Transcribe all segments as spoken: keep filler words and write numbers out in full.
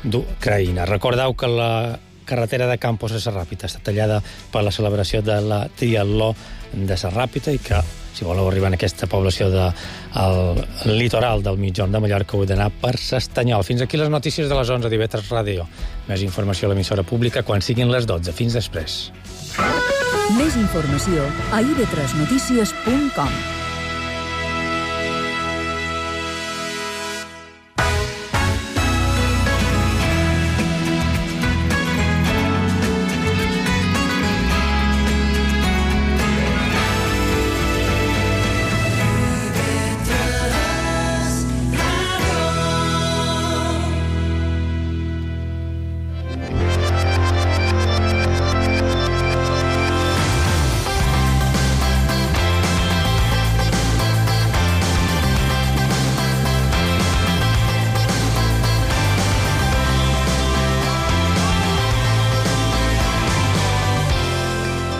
d'Ucraïna. Recordeu que la carretera de Campos a Serràpita està tallada per la celebració de la triatló de Serràpita i que, si voleu arribar en aquesta població del de, litoral del Migjorn de Mallorca, heu d'anar per S'Estanyol. Fins aquí les notícies de les onze d'I V tres Ràdio. Més informació a l'emissora pública quan siguin les dotze. Fins després. Més informació a i ve tres notícies punt com.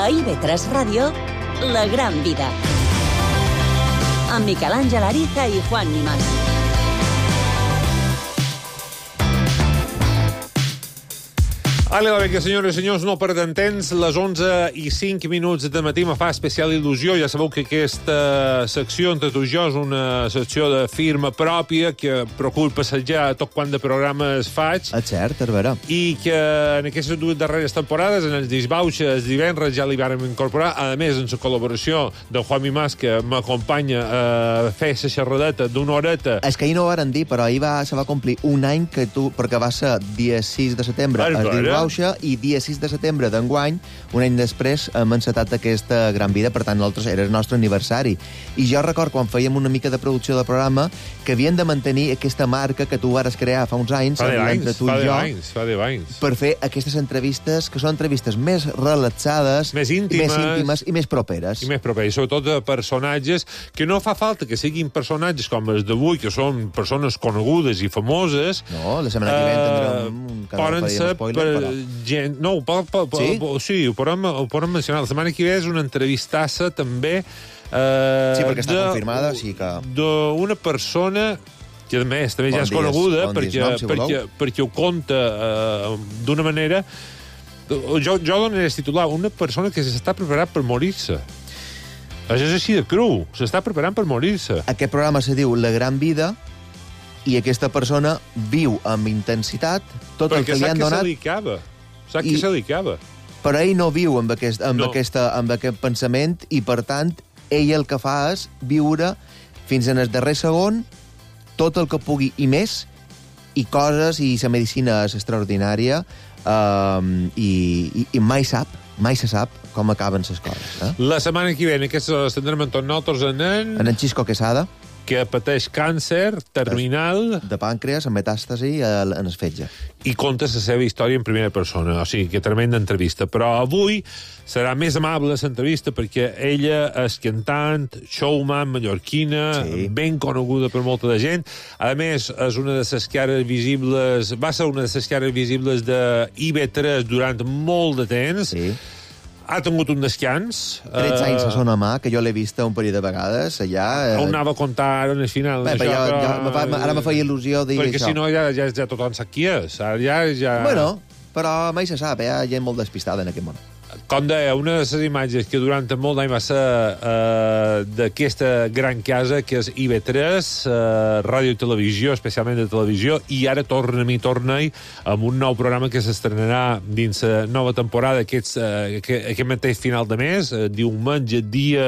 A I ve tres Ràdio, La Gran Vida. Amb Miquel Àngel Ariza i Juan Nimas. Hola, vinga, senyores i senyors, no perdem temps. Les onze i cinc minuts de matí me fa especial il·lusió. Ja sabeu que aquesta secció entre tu i jo és una secció de firma pròpia que procuro passejar tot quant de programes faig. És cert, és vera. I que en aquestes dues darreres temporades, en els disbauxes, els divendres, ja li vàrem incorporar. A més, en la col·laboració de Juan Mimàs, que m'acompanya a fer la xerradeta d'una horeta. És que ahir no ho varen dir, però ahir va, se va complir un any que tu, perquè va ser dia sis de setembre, es diu i dia sis de setembre d'enguany, un any després, hem encetat aquesta gran vida, per tant, nosaltres era el nostre aniversari. I jo record, quan fèiem una mica de producció del programa, que havien de mantenir aquesta marca que tu vares crear fa uns anys, fa entre tu i jo, anys, fa deu anys, per fer aquestes entrevistes, que són entrevistes més relaxades, més íntimes, més íntimes i més properes. I més properes, sobretot de personatges, que no fa falta que siguin personatges com els d'avui, que són persones conegudes i famoses. No, la setmana que ve tindrem un poden ser spoiler, per gent... No, ho, po, po, sí? Po, sí, ho podem, ho podem mencionar. La setmana que ve és una entrevistassa també eh, sí, perquè està de, confirmada, sí que... d'una persona que a més també bon ja és dies, coneguda bon perquè, dies, nom, si perquè, perquè ho conta eh, d'una manera... Jo, jo donaré el titular, una persona que s'està preparant per morir-se. Això és així de cru, s'està preparant per morir-se. Aquest programa se diu La Gran Vida i aquesta persona viu amb intensitat tot perquè el que li han donat. Perquè sap que se dedicava. Sap que se dedicava. Però ell no viu amb aquest, amb, no. aquesta, amb aquest pensament i, per tant, ell el que fa és viure fins en el darrer segon tot el que pugui i més, i coses, i la medicina és extraordinària, um, i, i, i mai sap, mai se sap com acaben les coses. Eh? La setmana que ve, en aquesta tindrem amb tots nosaltres en en... En en Xisco Quesada, que pateix càncer terminal de pàncreas, amb metàstasi en el fetge. I conta la seva història en primera persona. O sigui, que tremenda entrevista. Però avui serà més amable l'entrevista perquè ella és cantant, showman mallorquina, sí, ben coneguda per molta de gent. A més, és una de les cares visibles... Va ser una de les cares visibles de I V tres durant molt de temps. Sí. Ha tingut un descans. tretze uh, anys a Son Amà, que jo l'he vista un parell de vegades, allà... Uh, on anava a contar ara en el final. Bé, això, jo, però... jo, ara me feia il·lusió dir perquè això. Perquè si no ja, ja, ja tothom sap qui és. Ja, ja... Bueno, però mai se sap, eh? Hi ha gent molt despistada en aquest món. Com deia, una de les imatges que durant molt d'any va ser uh, d'aquesta gran casa, que és I V tres, uh, ràdio i televisió, especialment de televisió, i ara torna-hi, torna-hi, amb un nou programa que s'estrenarà dins la nova temporada, aquest, uh, aquest mateix final de mes, uh, diumenge, dia...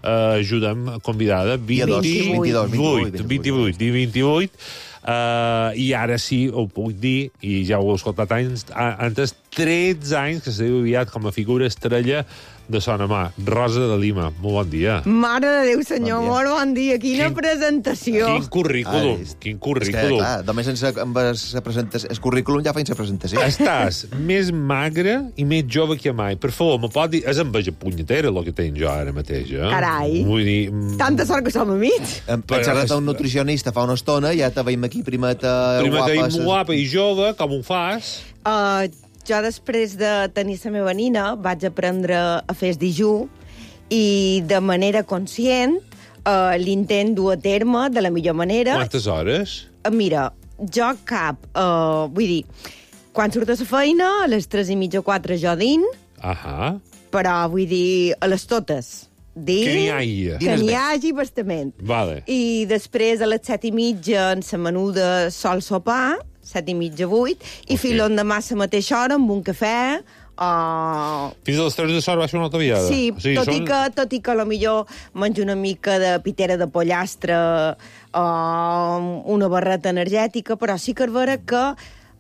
Uh, ajuda'm, convidada, vint-i-vuit, vint-i-vuit, vint-i-vuit, uh, i ara sí, ho puc dir, i ja ho heu escoltat anys, antes, tretze anys que s'ha aviat com a figura estrella de Son Amà. Rosa de Lima, molt bon dia. Mare de Déu, senyor, bon molt bon dia. Quina quin, presentació. Quin currículum, ah, quin currículum. És que, clar, només sense, amb la presentació, el currículum ja feien la presentació. Estàs més magre i més jove que mai. Per favor, me pot dir... És enveja punyetera el que tenc jo ara mateix, eh? Carai. Vull dir... Tanta sort que som amics. Hem xerrat a un nutricionista fa una estona, ja te veiem aquí primeta, primeta guapa. Primeta guapa i jove, com ho fas? Uh, jo, després de tenir la meva nina, vaig aprendre a fer el dijú i, de manera conscient, uh, l'intent dur a terme de la millor manera. Quantes hores? Uh, mira, jo cap... Uh, vull dir, quan surt de la feina, a les tres i mitja o quatre jo din, Ahà. però vull dir, a les totes. Dir, Que n'hi hagi. Que n'hi hagi bastament. Vale. I després, a les set i mitja, en la menuda sol sopar, set i mitja, vuit, i Ok. fins l'endemà a la mateixa hora amb un cafè, o... Fins a les tres de sort va ser una altra viada. Sí, O sigui, tot, són... i que, tot i que a lo millor menjo una mica de pitera de pollastre o una barreta energètica, però sí que és vera que...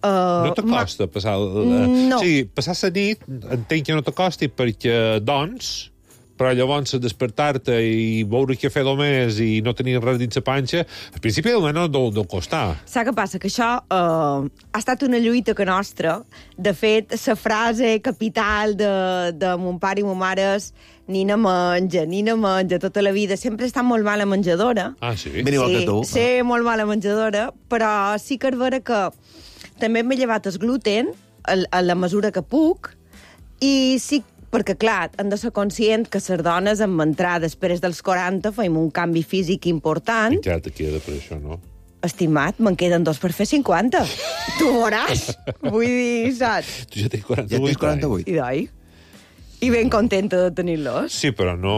Uh, No t'acosta passar... el- No. Sí, passar la nit, entenc que no t'acosti perquè, doncs, però llavors despertar-te i beure cafè només i no tenir res dins la panxa, al principi del no deu, deu costar. Saps què passa? Que això uh, ha estat una lluita que nostra. De fet, la frase capital de, de mon pare i mon mare és nina menja, nina menja, tota la vida. Sempre he estat molt mala menjadora. Ah, sí? Ben igual que tu. Sí, molt mala menjadora, però sí que és vera que també m'he llevat el gluten a, a la mesura que puc, i sí, perquè, clar, hem de ser conscient que les dones en entrar després dels quaranta fem un canvi físic important. Encara te queda per això, no? Estimat, me'n queden dos per fer cinquanta. Tu veuràs. Vull dir, saps? Tu ja tens quaranta-vuit. Ja tens quaranta-vuit. I d'oi? I ben contenta de tenir-los. Sí, però no...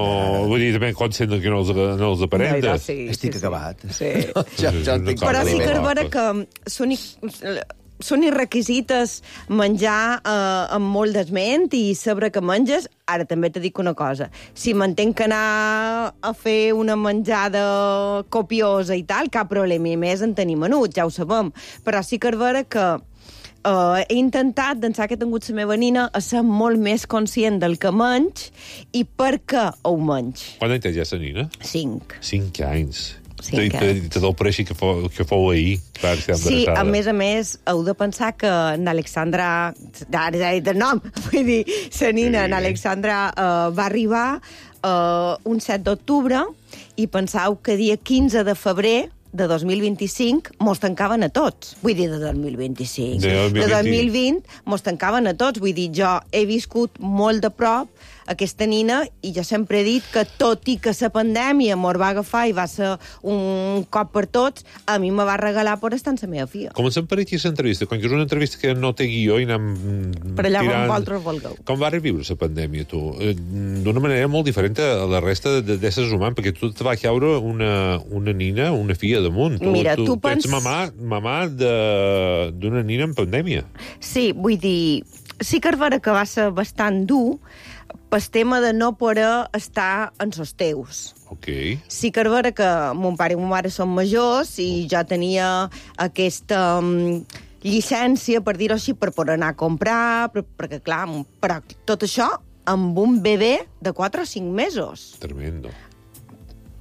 Vull dir, ben conscient que no els, no els aparenta. Sí, Estic sí, acabat. Sí. Ja, ja en tinc Però sí que és Calma, vera que són, i- són irrequisites menjar eh, amb molt d'esment i saber que menges. Ara també te dic una cosa. Si m'entenc que anar a fer una menjada copiosa i tal, cap problema. I més en tenir menut, ja ho sabem. Però sí que és vera que Uh, he intentat, d'ençà que he tingut la meva nina, a ser molt més conscient del que menys i per què ho menys. Quan anys té ja la nina? Cinc. Cinc anys. Cinc Te, te, anys. te deu pareixer que fou, que fou ahir. Clar, que Sí, a més a més, heu de pensar que n'Alexandra... Ara ja he dit el nom. Vull dir, la nina, Sí. n'Alexandra, uh, va arribar uh, un set d'octubre i pensau que dia quinze de febrer de dos mil vint-i-cinc mos tancaven a tots. Vull dir, de dos mil vint-i-cinc. De dos mil vint. De dos mil vint mos tancaven a tots. Vull dir, jo he viscut molt de prop aquesta nina i jo sempre he dit que tot i que la pandèmia mos va agafar i va ser un cop per tots, a mi me va regalar per estar amb la meva filla. Comencem per aquí l'entrevista. Com que és una entrevista que no té guió i anem Per allà on tirant... vosaltres vulgueu. Com va reviure la pandèmia, tu? Eh, D'una manera molt diferent a la resta de- d'éssers humans, perquè tu te va caure una, una nina, una filla damunt. Tu, Mira, tu, tu tu ets pens- mamà, mamà de- d'una nina en pandèmia. Sí, vull dir, sí que és vera que va ser bastant dur pel tema de no poder estar en els teus. Ok. Sí que és vera que mon pare i mon mare són majors i jo tenia aquesta um, llicència, per dir-ho així, per poder anar a comprar, per, perquè, clar, però tot això amb un bebè de quatre o cinc mesos. Tremendo.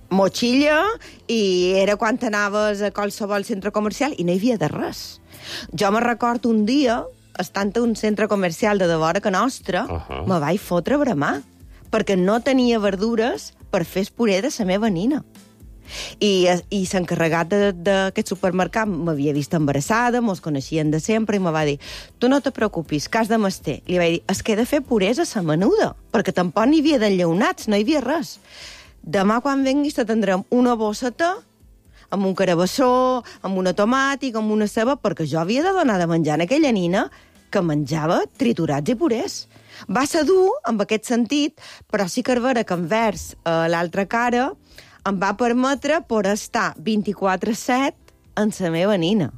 Motxilla, i era quan anaves a qualsevol centre comercial i no hi havia de res. Jo me recordo un dia, estant a un centre comercial de devora que nostra, Ahà. me vaig fotre a bramar, perquè no tenia verdures per fer el puré de la meva nina. I, i l'encarregat d'aquest supermercat m'havia vist embarassada, mos coneixien de sempre, i me va dir, tu no te preocupis, cas de mesté. Li vaig dir, es que he de fer purés a la menuda, perquè tampoc n'hi havia d'enllaunats, no hi havia res. Demà, quan venguis, te tindrem una bosseta amb un carabassó, amb una tomàtica, amb una ceba, perquè jo havia de donar de menjar a aquella nina que menjava triturats i purés. Va ser dur, en aquest sentit, però sí que és vera que envers eh, l'altra cara em va permetre poder estar vint-i-quatre set amb la meva nina.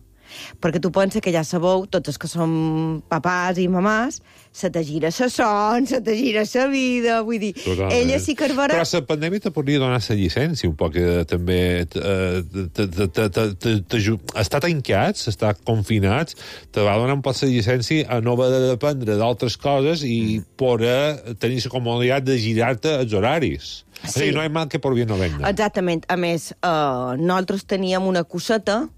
Perquè tu penses que ja sabeu, tots els que som papàs i mamàs, se te gira la son, se te gira la vida, vull dir, Totalment. ella sí que és vera... Però la pandèmia te podria donar la llicència un poc, eh, també. eh, te- te- te- te- te- t'aju- Estar tancats, estar confinats, te va donar un poc la llicència a no haver de dependre d'altres coses i poder tenir la comoditat de girar-te els horaris. Sí. És a dir, no hi ha mal que por bien no venga. Exactament. A més, eh, nosaltres teníem una coseta,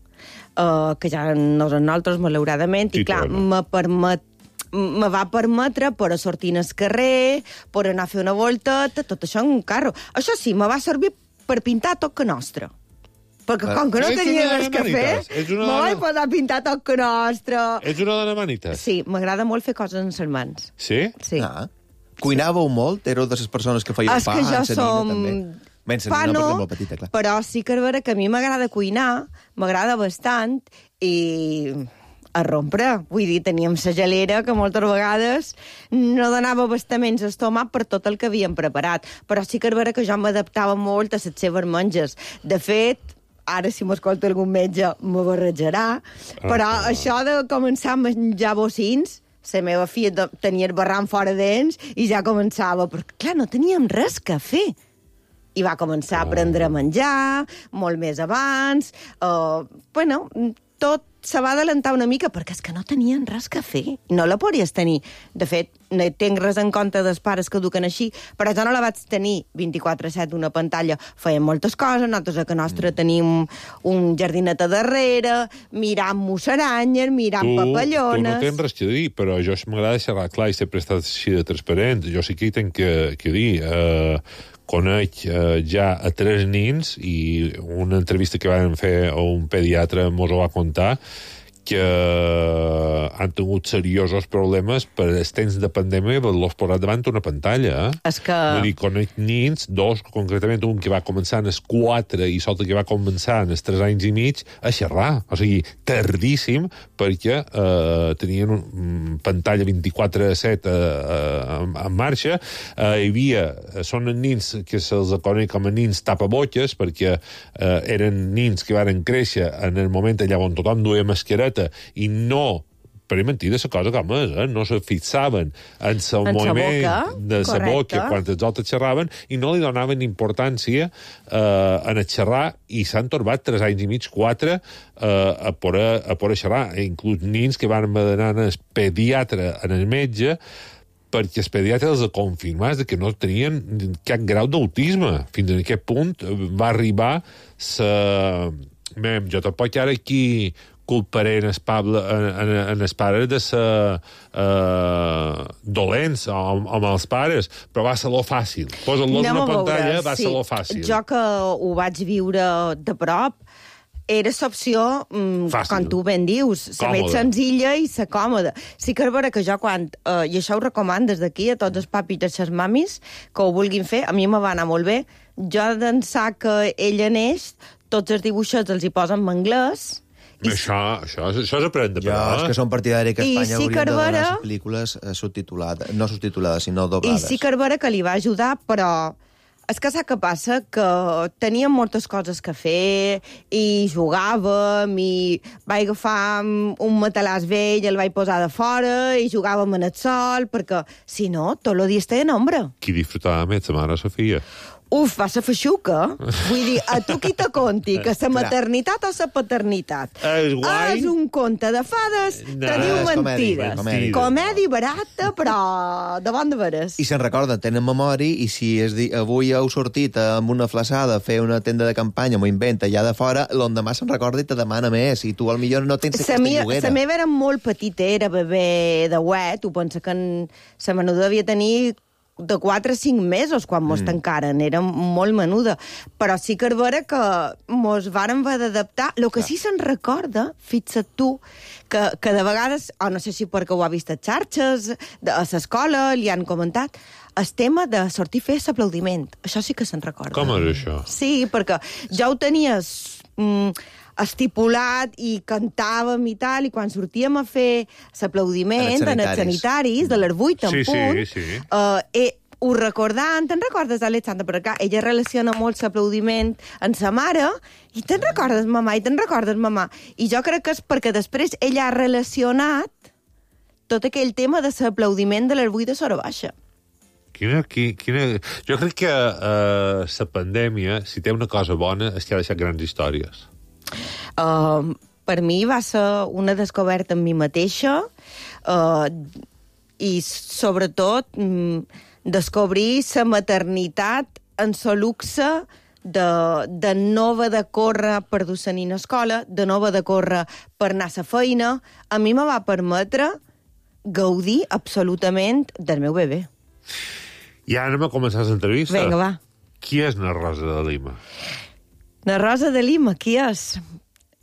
eh, que ja no és nosaltres, malauradament, Sí, i clar, clar. me permet me va permetre per a sortir al carrer, per anar a fer una volteta, tot això en un carro. Això sí, me va servir per pintar tot que nostre. Perquè Ah, com que no ets tenia una res que fer, manitas, ets una me dona- vaig posar a pintar tot que nostre. Ets una dona manites? Sí, m'agrada molt fer coses amb les mans. Sí? Sí. Ah. Cuinàveu molt? Éreu de les persones que feien És pa? que jo amb sa nina, som... també? Menys Pa la nina, no, perquè és molt petita, clar. però sí que és vera que a mi m'agrada cuinar, m'agrada bastant, i a rompre. Vull dir, teníem la gelera que moltes vegades no donava abastaments estomac per tot el que havíem preparat. Però sí que és vera que jo m'adaptava molt a les seves menges. De fet, ara si m'escolta algun metge me barrejarà, però ah, això de començar a menjar bocins, la meva filla tenia el barram fora dents i ja començava, perquè clar, no teníem res que fer. I va començar a aprendre a menjar, molt més abans, uh, bueno, tot se va adelantar una mica, perquè és que no tenien res que fer. No la podries tenir. De fet, no tinc res en compte dels pares que eduquen així, però jo no la vaig tenir vint-i-quatre set una pantalla. Feien moltes coses, nosaltres a que nostre tenim un jardinet a darrere, mirant musaranyes, mirant tu, papallones... Tu no tens res que dir, però jo m'agrada xerrar clar i sempre he estat així de transparent. Jo sí que hi tenc que, que dir... Eh, conec eh, ja a tres nins i una entrevista que vam fer a un pediatre mos ho va contar que han tingut seriosos problemes per els temps de pandèmia i l'os posat davant una pantalla. Eh? És que... Vull dir, conec nins, dos, concretament un que va començar en els quatre i l'altre que va començar en els tres anys i mig a xerrar. O sigui, tardíssim, perquè eh, tenien un pantalla vint-i-quatre set eh, eh, en marxa. Eh, hi havia... Són nins que se'ls coneix com a nins tapabotxes, perquè eh, eren nins que varen créixer en el moment allà on tothom duia mascareta i no, per mentir de la cosa com és, eh? No se fixaven en el moviment de la boca quan els altres xerraven i no li donaven importància eh, en el xerrar i s'han torbat tres anys i mig, quatre, eh, a poder, a poder xerrar. Inclús nins que van anar al pediatre, en el metge, perquè els pediatres els confirmats que no tenien cap grau d'autisme. Fins a aquest punt va arribar la... Mem, jo tampoc ara aquí culparé en els, Pablo, en, en els pares de ser uh, dolents amb, amb els pares, però va ser lo fàcil. Posa-los en una pantalla, va sí. ser lo fàcil. Jo que ho vaig viure de prop, era l'opció, mm, com tu ben dius, la més senzilla i la còmoda. Sí que és vera que jo quan, eh, i això ho recomano des d'aquí a tots els papis i les mamis que ho vulguin fer, a mi me va anar molt bé. Jo d'ençà que ella neix, tots els dibuixets els hi posen en anglès. I això, això, això s'aprèn de parlar. Jo, és que són partidari que a Espanya sí haurien de donar les pel·lícules subtitulades, no subtitulades, sinó doblades. I sí que és vera que li va ajudar, però és que sap què passa? Que teníem moltes coses que fer i jugàvem i vaig agafar un matalàs vell, el vaig posar de fora i jugàvem en el sol, perquè si no, tot el dia estava en ombra. Qui disfrutava més, la mare Sofia? Uf, va ser feixuca. Vull dir, a tu qui te conti que la maternitat o la paternitat és, és un conte de fades no, que diu mentides. Comèdia, comèdia barata, però de bon de veres. I se'n recorden, tenen memòria, i si és di... avui heu sortit amb una flaçada a fer una tenda de campanya, m'ho inventa, allà de fora, l'endemà se'n recorda i te demana més, i tu potser no tens aquesta lloguera. La meva era molt petita, era bebè de wet, ho pensa que la menuda devia tenir de quatre a cinc mesos quan mos mm. tancaren, era molt menuda. Però sí que és vera que mos vàrem haver d'adaptar. El que sí se'n recorda, fixa't tu, que, que de vegades, o no sé si perquè ho ha vist a xarxes, de, a l'escola, li han comentat, el tema de sortir a fer l'aplaudiment. Això sí que se'n recorda. Com és això? Sí, perquè ja ho tenies... Mm, estipulat i cantàvem i tal, i quan sortíem a fer l'aplaudiment en els sanitaris, de les vuit en sí, punt, sí, sí. Uh, eh, ho recordant, te'n recordes, Alexandra? Per acá, ella relaciona molt l'aplaudiment amb sa mare, i te'n recordes, mamà, i te'n recordes, mamà. I jo crec que és perquè després ella ha relacionat tot aquell tema de l'aplaudiment de les vuit de Sora Baixa. Quina, quina... Jo crec que uh, la pandèmia, si té una cosa bona, és que ha deixat grans històries. Uh, per mi va ser una descoberta en mi mateixa uh, i, sobretot, um, descobrir la maternitat en la luxe de, de no haver de córrer per dur la nina a escola, de no haver de córrer per anar a la feina. A mi me va permetre gaudir absolutament del meu bebè. I ara anem a començar l'entrevista. Vinga, va. Qui és na Rosa de Lima? Na Rosa de Lima, qui és?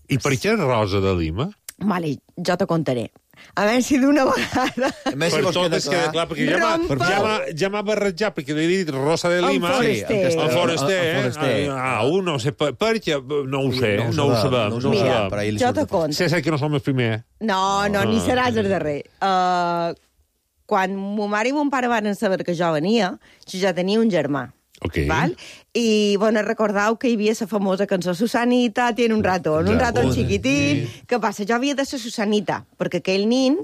I per què Rosa de Lima? Vale, jo te contaré. A veure si d'una vegada... Més si Per vols tot quedar es queda clar, perquè ja m'ha Rompa. ja m'ha- ja m'ha barrejat, perquè li he dit Rosa de Lima... En Forester. Sí, El Forester, en eh? Forester. Ah, un, no sé, per, per què? No ho sé, no, no ho sabem. No ho No ho sabem, Mira, sabem. però ahir li jo surt te de fora. conto. Sí, sé que no som els primers. No, no, ni seràs el darrer. Uh, quan mo mare i mon pare van saber que jo venia, jo ja tenia un germà. Ok. Val? I, bueno, recordeu que hi havia la famosa cançó Susanita tiene un ratón, un Ja, ratón sí. xiquitín. Què passa? Jo havia de ser Susanita, perquè aquell nin...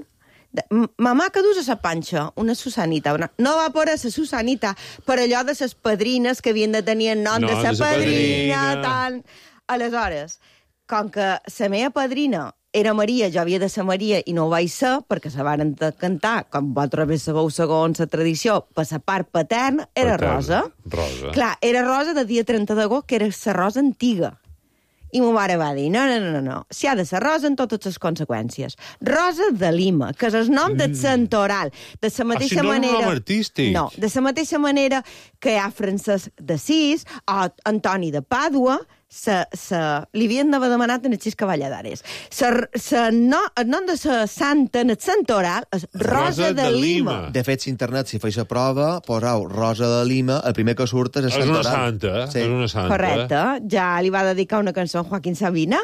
De, "M- mamà, que dus a sa panxa? Una Susanita. Una... No va por a sa Susanita, per allò de ses padrines que havien de tenir el nom No, de sa de sa padrina, padrina. tal... Aleshores, com que la meva padrina era Maria, jo havia de ser Maria i no ho vaig ser, perquè se varen de cantar, com vosaltres bé sabeu segons la tradició, per la part paterna, era Paterna, Rosa. Rosa. Clar, era Rosa de dia trenta d'agost, que era la Rosa antiga. I ma mare va dir, no, no, no, no, no, si ha de ser Rosa en totes les conseqüències. Rosa de Lima, que és el nom del santoral. De la mateixa si no és un manera... nom artístic. No, de la mateixa manera que hi ha Francesc d'Assís o Antoni de Pàdua, se, se, li havien d'haver demanat en el Xisca Valladares. Se, se, no, el nom de la santa en el santoral és Rosa, Rosa de, de Lima. Lima. De fet, si internet, si feix la prova, posau Rosa de Lima, el primer que surt és el És una Santoral. santa, Sí. és una santa. Correcte. Ja li va dedicar una cançó a Joaquín Sabina.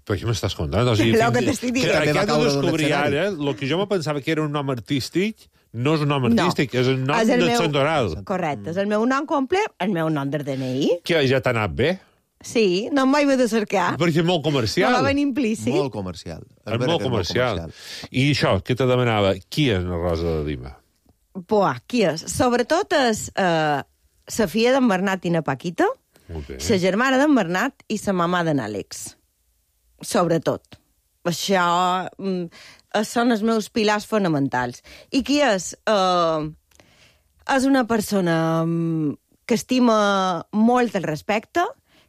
Però què m'estàs contant? O sigui, Lo fins- que t'estic dient. que També va Aquest de caure d'un descobrir escenari. ara, el que jo me pensava que era un nom artístic, no és un nom No. artístic, és el nom És el del meu- santoral. Correcte. És el meu nom complet, el meu nom del D N I. Que ja t'ha anat bé, Sí, no em vaig haver de cercar. perquè és molt No comercial. va venir implícit. Molt comercial. És vera molt que comercial. I això, què te demanava? Qui és la Rosa de Lima? Buah, qui és? Sobretot és eh, la filla d'en Bernat i na Paquita, Molt bé. la germana d'en Bernat i la mamà d'en Àlex. Sobretot. Això mm, són els meus pilars fonamentals. I qui és? Eh, és una persona mm, que estima molt el respecte,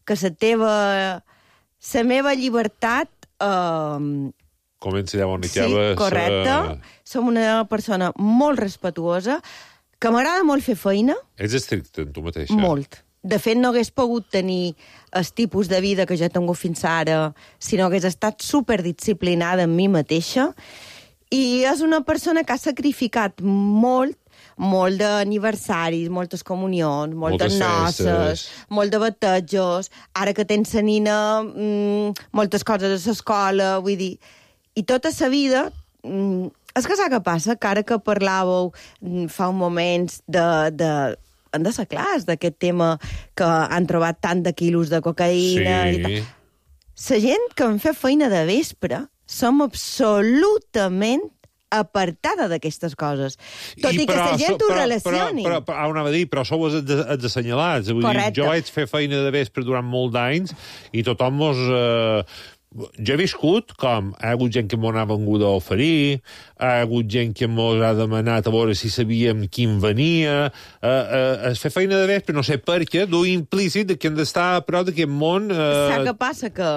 que la teva... la meva llibertat... Eh, Comença llavors una sí, mica... correcte. Som una persona molt respectuosa, que m'agrada molt fer feina, Ets estricte en tu mateixa. molt. De fet, no hagués pogut tenir el tipus de vida que jo he tingut fins ara si no hagués estat superdisciplinada en mi mateixa. I és una persona que ha sacrificat molt, molt d'aniversaris, moltes comunions, moltes, Moltes noces, festes. molt de batejos, ara que tens la nina, mmm, moltes coses a l'escola, vull dir... I tota la vida... Mm, és que saps què passa? Que ara que parlàveu mm, fa un moments de... de han de ser clars d'aquest tema que han trobat tant de quilos de cocaïna i tal. Sí. La gent que en fa feina de vespre som absolutament apartada d'aquestes coses. Tot i, i que però la gent so- ho però- relacioni. Però, però, però, anava a dir, però sou els, de- els assenyalats. Vull dir, Correcte. jo vaig fer feina de vespre durant molt d'anys i tothom mos... Eh, jo he viscut com hi ha hagut gent que m'ho ha vengut a oferir, hi ha hagut gent que mos ha demanat a veure si sabíem quin venia, eh, eh, es fer feina de vespre, no sé per què, du implícit que hem d'estar a prop d'aquest món... Saps Eh, què passa? Que,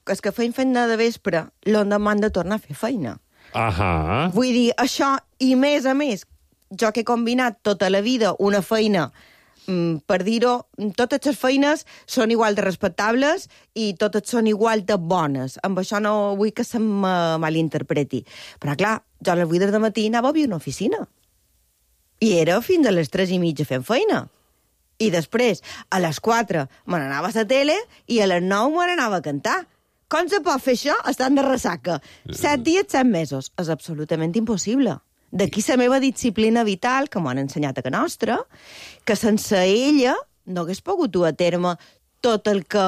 que els que feien feina de vespre l'endemà han de tornar a fer feina. ahà. Vull dir, això, i més a més, jo que he combinat tota la vida una feina, mm, per dir-ho, totes les feines són igual de respectables i totes són igual de bones. Amb això no vull que se me malinterpreti. Però, clar, jo a les vuit del matí anava a viure a una oficina. I era fins a les tres i mitja fent feina. I després, a les quatre, me n'anava a la tele i a les nou me n'anava a cantar. Com se pot fer això estant de ressaca? Set dies, set mesos. És absolutament impossible. D'aquí la meva disciplina vital, que m'ho han ensenyat a que nostra, que sense ella no hagués pogut dur a terme tot el que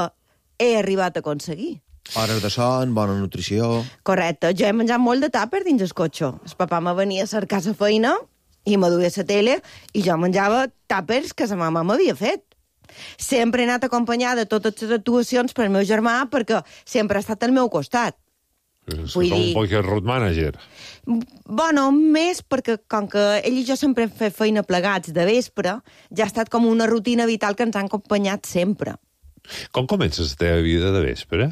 he arribat a aconseguir. Hores de son, bona nutrició... Correcte. Jo he menjat molt de tàper dins el cotxe. El papà me venia a cercar la feina i me duia a la tele i jo menjava tàpers que sa mama m'havia fet. Sempre he anat acompanyada de totes les actuacions per meu germà perquè sempre ha estat al meu costat. És vull com dir- un poc de road manager. Bueno, més perquè com que ell i jo sempre hem fet feina plegats de vespre, ja ha estat com una rutina vital que ens han acompanyat sempre. Com comences la teva vida de vespre?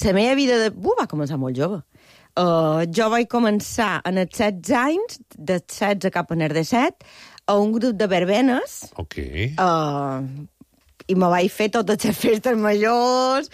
La meva vida de... Uh, va començar molt jove. Uh, jo vaig començar en els setze anys, de setze cap a els disset, a un grup de verbenes, Ok. uh, i me vaig fer totes les festes majors,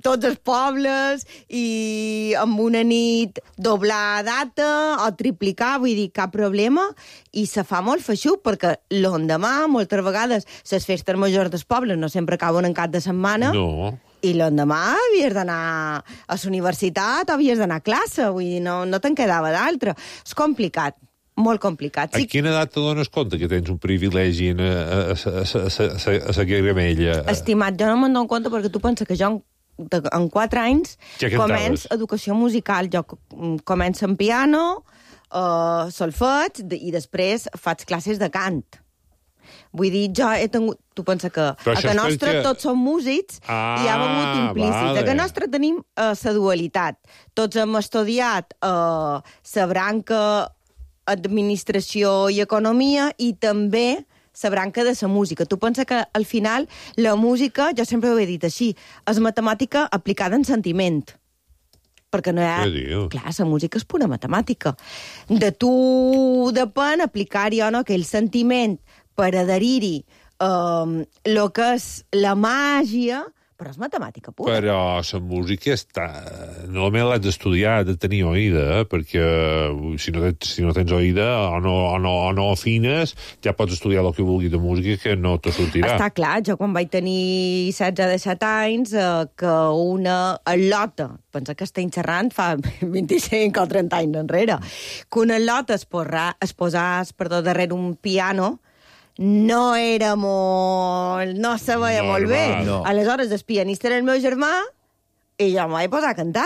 tots els pobles, i amb una nit doblar data o triplicar, vull dir, cap problema, i se fa molt feixuc, perquè l'endemà, moltes vegades, les festes majors dels pobles no sempre acaben en cap de setmana, No. i l'endemà havies d'anar a la universitat o havies d'anar a classe, vull dir, no, no te'n quedava d'altre. És complicat, molt complicat. A quina edat te dones compte que tens un privilegi en, a, a, a, a, a la gramella? Estimat, jo no me'n dono compte perquè tu penses que jo en, de, en quatre anys Ja cantaves. començo educació musical. Jo començo en piano, uh, solfeig, i després faig classes de cant. Vull dir, jo he tingut... Tu pensa que Però a això que és nostre perquè- tots som músics Ah, i hi ha begut implícit. vale. A que nostre tenim la uh, dualitat. Tots hem estudiat la uh, branca administració i economia i també la branca de la música. Tu pensa que al final la música, jo sempre ho he dit així, és matemàtica aplicada en sentiment. Perquè no hi ha... Què dius? Clar, la música és pura matemàtica. De tu depèn aplicar-hi o no aquell sentiment per adherir-hi el um, que és la màgia, però és matemàtica pura. Però la música està... Normalment l'has d'estudiar, has de tenir oïda, eh? Perquè ui, si no, tens, si no tens oïda o no, o, no, o no afines, ja pots estudiar el que vulguis de música que no te sortirà. Està clar, jo quan vaig tenir setze o disset anys, eh, que una al·lota, pensa que estem xerrant fa vint-i-cinc o trenta anys enrere, que una al·lota es, porrà, es posàs, perdó, darrere un piano, no era molt... no se veia Normal. molt bé. No. Aleshores, el pianista era el meu germà i jo m'ho vaig posar a cantar.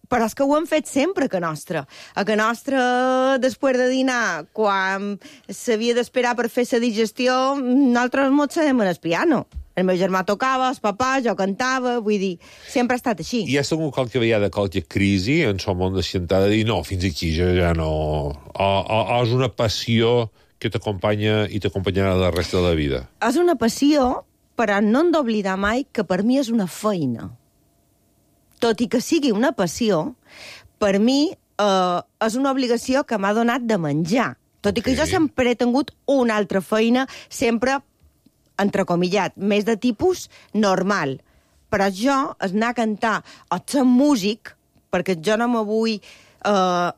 Però és que ho hem fet sempre, a que nostra. A que nostra, després de dinar, quan s'havia d'esperar per fer la digestió, nosaltres mos sabem en el piano. El meu germà tocava, el papà, jo cantava, vull dir, sempre ha estat així. I has tingut qualque vegada qualque crisi en el món de xantada de dir no, fins aquí jo ja no... O, o, o és una passió que t'acompanya i t'acompanyarà la resta de la vida? És una passió, però no hem d'oblidar mai que per mi és una feina. Tot i que sigui una passió, per mi eh, és una obligació que m'ha donat de menjar. Tot okay. i que jo sempre he tingut una altra feina, sempre, entrecomillat, més de tipus normal. Però jo, és anar a cantar o ser músic, perquè jo no me vull eh,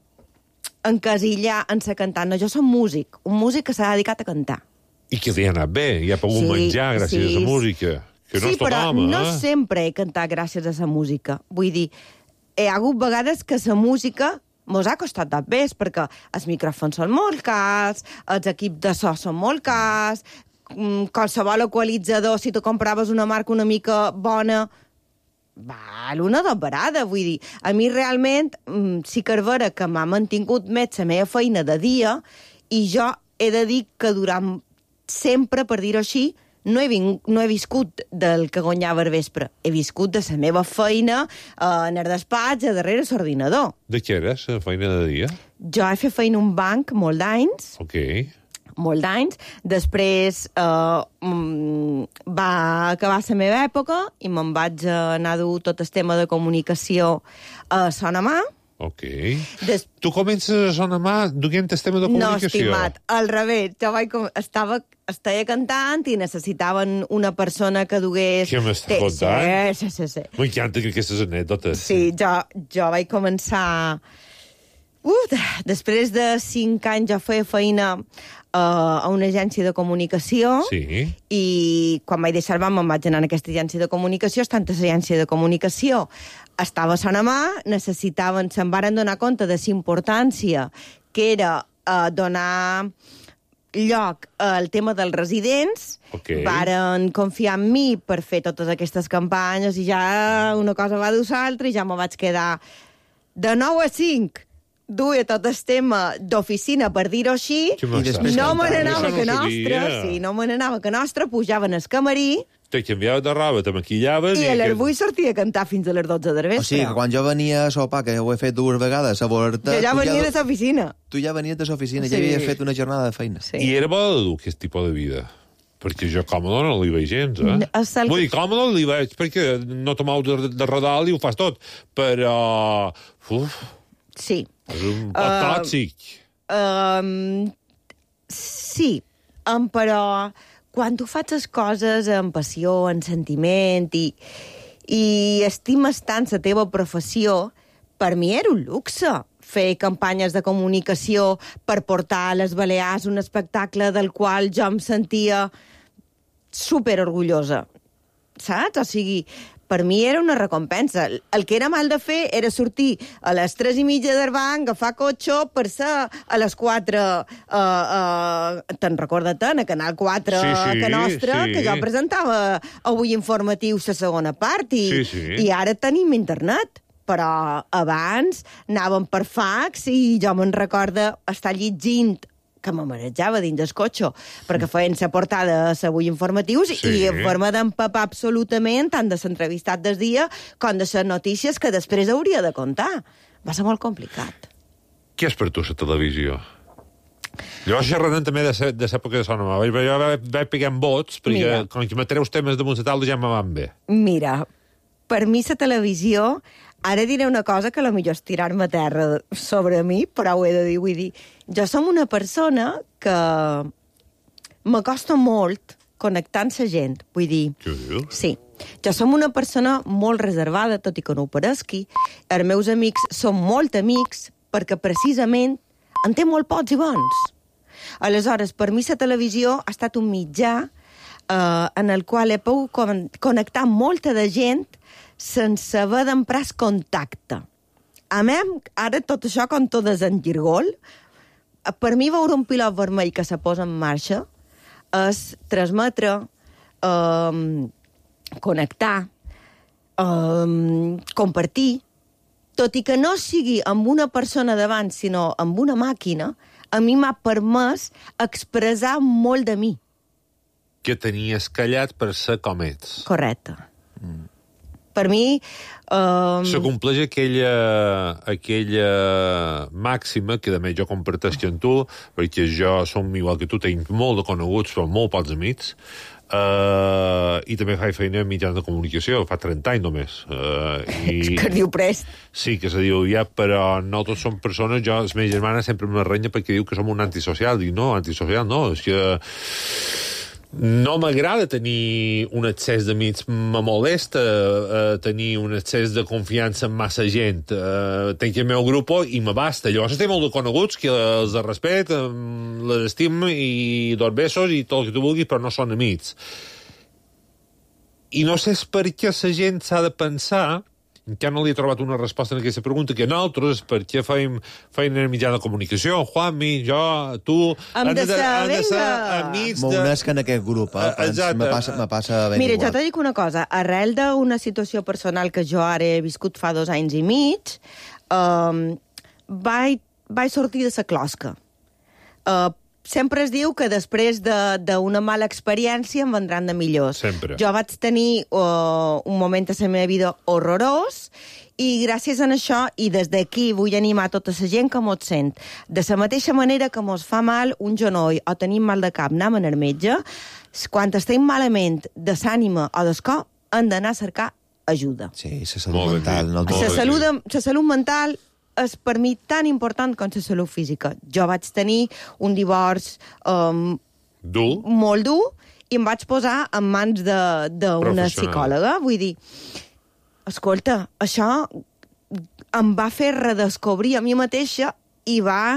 encasillar en ser cantant. No, jo som músic, un músic que s'ha dedicat a cantar. I que li ha anat bé, i ha pogut Sí, menjar gràcies sí. a la música. Que no sí, és tot però home, no eh? sempre he cantat gràcies a la música. Vull dir, hi ha hagut vegades que la música mos ha costat de pes, perquè els micròfons són molt cars, els equips de so són molt cars, mm, qualsevol equalitzador, si tu compraves una marca una mica bona, val una doberada, vull dir. A mi realment mm, sí que és vera que m'ha mantingut més la meva feina de dia i jo he de dir que durant sempre, per dir-ho així, no he, ving, no he viscut del que guanyava al vespre. He viscut de la meva feina eh, en el despatx, a darrere l'ordinador. De què era, la feina de dia? Jo he fet feina a un banc molt d'anys, Ok. molt d'anys. Després eh, mm, va acabar la meva època i me'n vaig anar a dur tot el tema de comunicació a Sonamà. Ok. Des... Tu comences a sonar mà duent el tema de No, comunicació. estimat, al revés. Jo vaig com... estava, estava cantant i necessitaven una persona que dugués... Què m'estàs Té- contant? Sí, sí, sí. M'encanten aquestes anècdotes. Sí, jo, jo vaig començar... Uh, després de cinc anys jo feia feina uh, a una agència de comunicació Sí. i quan vaig deixar el banc me'n vaig anar a aquesta agència de comunicació. Estant a l'agència de comunicació estava a Sonamà, necessitaven, se'n varen donar compte de la importància que era uh, donar lloc al tema dels residents, Ok. varen confiar en mi per fer totes aquestes campanyes i ja una cosa va dur l'altra i ja me vaig quedar de nou a cinc duia tot el tema d'oficina, per dir-ho així, Què m'estàs després no me contant? n'anava Això que no ho nostre, sabia. sí, no me n'anava que nostre, pujaven al camarí Te canviaves de roba, te maquillaves... i a les que- vuit sortia a cantar fins a les dotze del vespre. O sigui, que quan jo venia a sopar, que ho he fet dues vegades, a Borta... Jo ja tu venia de l'oficina. Tu ja venies de l'oficina, Sí. ja havies fet una jornada de feina. Sí. I era bo de dur aquest tipus de vida? Perquè jo còmode no li veig gens, eh? No, és el- Vull dir, còmode li veig perquè no te mous de, de redal i ho fas tot. Però... Uf, Sí. és un poc Uh, tòxic. Um, sí, um, però quan tu fas les coses amb passió, amb sentiment, i, i estimes tant la teva professió, per mi era un luxe fer campanyes de comunicació per portar a les Balears un espectacle del qual jo em sentia superorgullosa, saps? O sigui, per mi era una recompensa. El que era mal de fer era sortir a les tres i mitja del banc, agafar cotxe per ser a les quatre, uh, uh, te'n recorda tant, a Canal quatre, sí, sí, que nostra, sí. que jo presentava avui informatiu la segona part, i, sí, sí. i ara tenim internet. Però abans anàvem per fax i jo me'n recorda estar llegint, que me marejava dins del cotxe, perquè feien la portada a Avui Informatius, sí. i en forma d'empapar absolutament tant de l'entrevistat del dia com de les notícies que després hauria de contar. Va ser molt complicat. Què és per tu la televisió? Jo xerrant també de l'època de Sona Nova. Jo vaig pegant vots, perquè Mira. com que me treus temes damunt la taula ja me van bé. Mira, per mi la televisió... Ara diré una cosa que potser és tirar-me a terra sobre mi, però ho he de dir. Vull dir, jo som una persona que m'acosta molt connectar amb la gent. Vull dir, Què dius? Sí. Jo som una persona molt reservada, tot i que no ho pareixi. Els meus amics són molt amics perquè precisament en té molt pocs i bons. Aleshores, per mi la televisió ha estat un mitjà eh, en el qual he pogut con connectar amb molta de gent sense haver d'emprar el contacte. A mi, ara tot això com tot és en girgol, per mi veure un pilot vermell que se posa en marxa és transmetre, eh, connectar, eh, compartir, tot i que no sigui amb una persona davant, sinó amb una màquina, a mi m'ha permès expressar molt de mi. Que tenies callat per ser com ets. Correcte. Mm. Per mi... Um... Se compleix aquella, aquella màxima que, a més, jo comparteixo amb tu, perquè jo som igual que tu, tinc molt de coneguts, però molt pocs amics, uh, i també faig feina en mitjans de comunicació, fa trenta anys només. Uh, i... que es diu prest. Sí, que se diu ja, però no tots som persones, jo, la meva germana sempre me renya perquè diu que som un antisocial. Dic, no, antisocial no, és que... No m'agrada tenir un excés d'amics, me molesta uh, tenir un excés de confiança en massa gent. Uh, tenc el meu grup i me basta. Llavors estem molt de coneguts, que els de respecte, um, les estim i dos besos i tot el que tu vulguis, però no són amics. I no sé per què la gent s'ha de pensar, encara no li he trobat una resposta en aquesta pregunta, que nosaltres, perquè feim feina en mitjà de comunicació, Juanmi, jo, tu... Hem de ser, vinga! Amics M'ho de... unesc en aquest grup, eh? Exacte. Me passa, me passa ben Mira, igual. jo t'he dit una cosa. Arrel d'una situació personal que jo ara he viscut fa dos anys i mig, um, vaig, vaig sortir de la closca. Uh, Sempre es diu que després d'una de, mala experiència en vendran de millors. Sempre. Jo vaig tenir uh, un moment a la meva vida horrorós i gràcies a això, i des d'aquí vull animar tota la gent que mos sent, de la mateixa manera que mos fa mal un genoll o tenim mal de cap, anem al metge, quan estem malament de l'ànima o del cor, hem d'anar a cercar ajuda. Sí, la salut mental. No la, salut, la salut mental és per mi tan important com la salut física. Jo vaig tenir un divorç um, dur? molt dur i em vaig posar en mans d'una psicòloga. Vull dir, escolta, això em va fer redescobrir a mi mateixa i va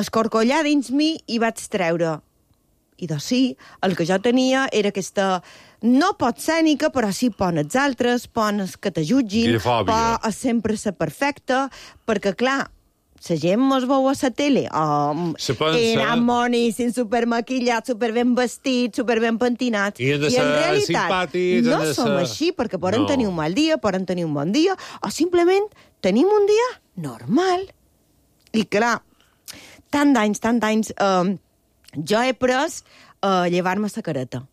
escorcollar dins mi i vaig treure. I doncs sí, el que jo tenia era aquesta... No pot escènica, però sí pon els altres, pon els que te jutgin, por sempre ser perfecta, perquè, clar, la gent mos veu a la tele, oh, eren monis, supermaquillats, superben vestits, superben pentinats, i, i en realitat no som ser... així, perquè poden no. tenir un mal dia, poden tenir un bon dia, o simplement tenim un dia normal. I, clar, tant d'anys, tant d'anys, eh, jo he pres eh, llevar-me la careta.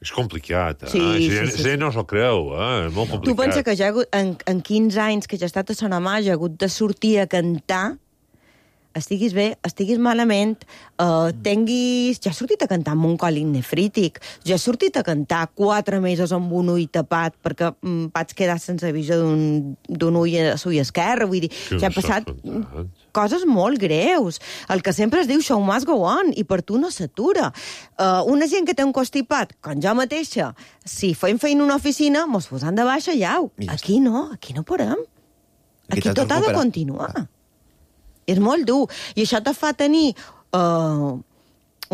És complicat, eh? Sí, sí, sí, sí, sí. no s'ho creu, eh? És molt complicat. Tu pensa que ja en, en quinze anys que jo he estat a Sonamà, jo he hagut de sortir a cantar estiguis bé, estiguis malament, uh, tinguis... Jo he sortit a cantar amb un còlic nefrític, jo he sortit a cantar quatre mesos amb un ull tapat perquè mm, vaig quedar sense visió d'un ull a l'ull esquerre, vull dir, Que ja no he passat s'ha coses molt greus. El que sempre es diu show must go on, i per tu no s'atura. Uh, una gent que té un constipat, com jo mateixa, si fem feina a una oficina, mos posam de baixa i au. Aquí no, aquí no podem. Aquí Aquí t'has de tot ha de recuperar. continuar. És molt dur. I això te fa tenir uh,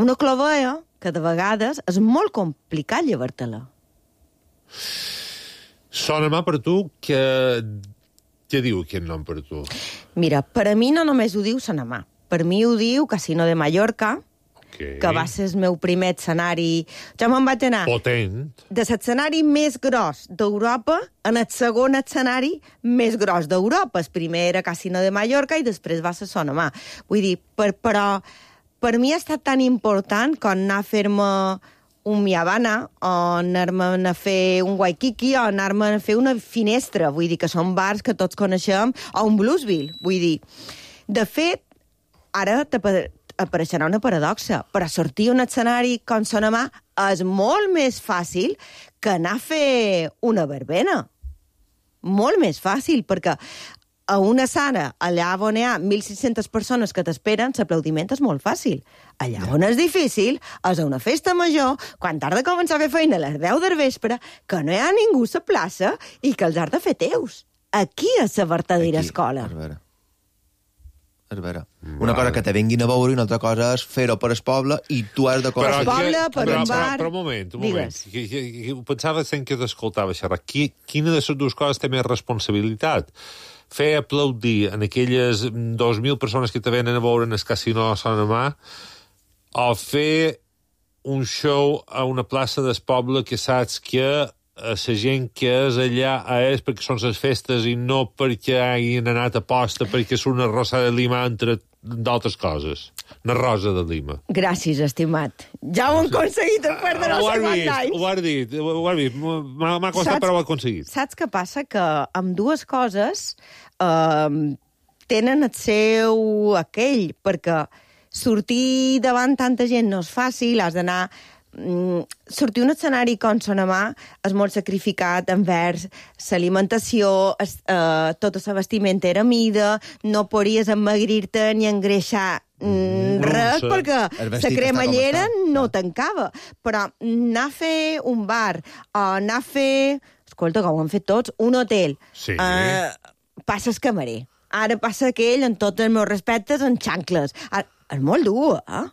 una clovella que de vegades és molt complicat llevar-te-la. Sona mà per tu que... Què diu aquest nom per tu? Mira, per a mi no només ho diu Sanamà. Per mi ho diu Casino de Mallorca, Okay. que va ser el meu primer escenari. Jo me'n vaig anar Potent. de l'escenari més gros d'Europa en el segon escenari més gros d'Europa. El primer era Casino de Mallorca i després va ser Sonamà. Vull dir, per, però per mi ha estat tan important com anar a fer-me un Mi Habana, o anar-me a fer un Waikiki, o anar-me a fer una finestra. Vull dir que són bars que tots coneixem, o un Bluesville. Vull dir, de fet, ara te apareixerà una paradoxa, però sortir a un escenari com Sonamà és molt més fàcil que anar a fer una verbena. Molt més fàcil, perquè a una sala, allà on hi ha mil sis-centes persones que t'esperen, l'aplaudiment és molt fàcil. Allà on és difícil és a una festa major, quan t'has de començar a fer feina a les deu del vespre, que no hi ha ningú a la plaça i que els has de fer teus. Aquí és la verdadera escola. És vera. És vera. Una cosa que te vinguin a veure i una altra cosa és fer-ho per el poble i tu has de... Per coses. el poble, per però, un però, bar... Però un moment, un moment. Digues. Que, que, que, pensava sent que t'escoltava xerrar. Qui, quina de les dues coses té més responsabilitat? Fer aplaudir en aquelles dos mil persones que te venen a veure en el casino de Sonamà o fer un show a una plaça del poble que saps que la gent que és allà és perquè són les festes i no perquè hagin anat a posta perquè és una rosa de lima entre d'altres coses. Una rosa de lima. Gràcies, estimat. Ja ho hem aconseguit després de no Ho sé has quants vist, anys. ho has dit, ho has vist. M'ha m'ha costat, Saps- però ho he aconseguit. Saps què passa? Que amb dues coses eh, tenen el seu aquell, perquè sortir davant tanta gent no és fàcil, has d'anar... Mm, sortir un escenari com Sonamà és molt sacrificat envers l'alimentació, es- eh, tota la vestimenta era mida, no podries emagrir-te ni engreixar mm, No, res, sí. perquè El la vestit cremallera està com està. no tancava. Però anar a fer un bar, o anar a fer... Escolta, com ho han fet tots, un hotel. Sí. Eh, passa el camarer. Ara passa aquell, en tots els meus respectes, en xancles. Ara, és molt dur, eh?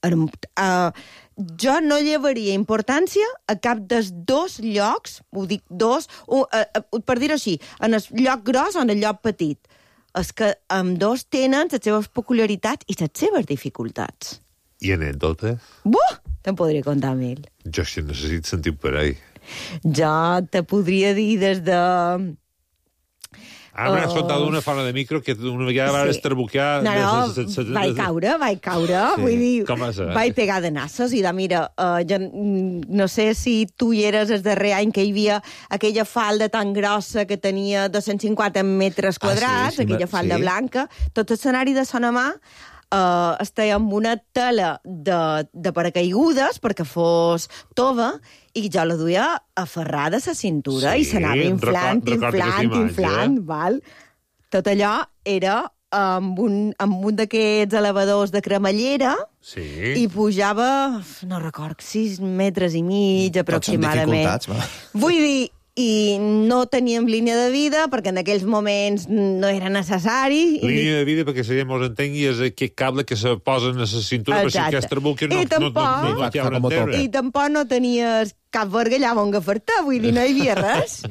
Er, uh, jo no llevaria importància a cap dels dos llocs, ho dic dos, uh, uh, uh, per dir-ho així, en el lloc gros o en el lloc petit. És que amb dos tenen les seves peculiaritats i les seves dificultats. I anècdota? Buh! Te'n podria contar mil. Jo això necessito sentir per ahí. Jo te podria dir des de... Ah, m'has Oh. contat una fora de micro que una vegada vas Sí. esterbucar... No, no, de- de- de- de- vaig caure, vaig caure, Sí. vull dir, Com va ser? vaig pegar de nassos i de, mira, uh, jo mm, no sé si tu hi eres el darrer any que hi havia aquella falda tan grossa que tenia dos-cents cinquanta metres Ah, sí, quadrats, sí, aquella sí. falda blanca, tot l'escenari de Sonamà uh, estava amb una tela de, de paracaigudes perquè fos tova i jo la duia aferrada a la cintura Sí, i s'anava inflant, record- recordo inflant, aquesta imatge. inflant, val? Tot allò era amb un, amb un d'aquests elevadors de cremallera Sí. i pujava, no record, sis metres i mig Tots són aproximadament. dificultats, va. Vull dir, i no teníem línia de vida perquè en aquells moments no era necessari. Línia de vida, perquè la gent mos entengui, és aquest cable que se posa en la cintura per si Exacte. aquest buque no, I no, no, no, tampoc- no, no té Fa on com a enterra. I tampoc no tenies cap verga allà on agafar-te, vull dir, no hi havia res.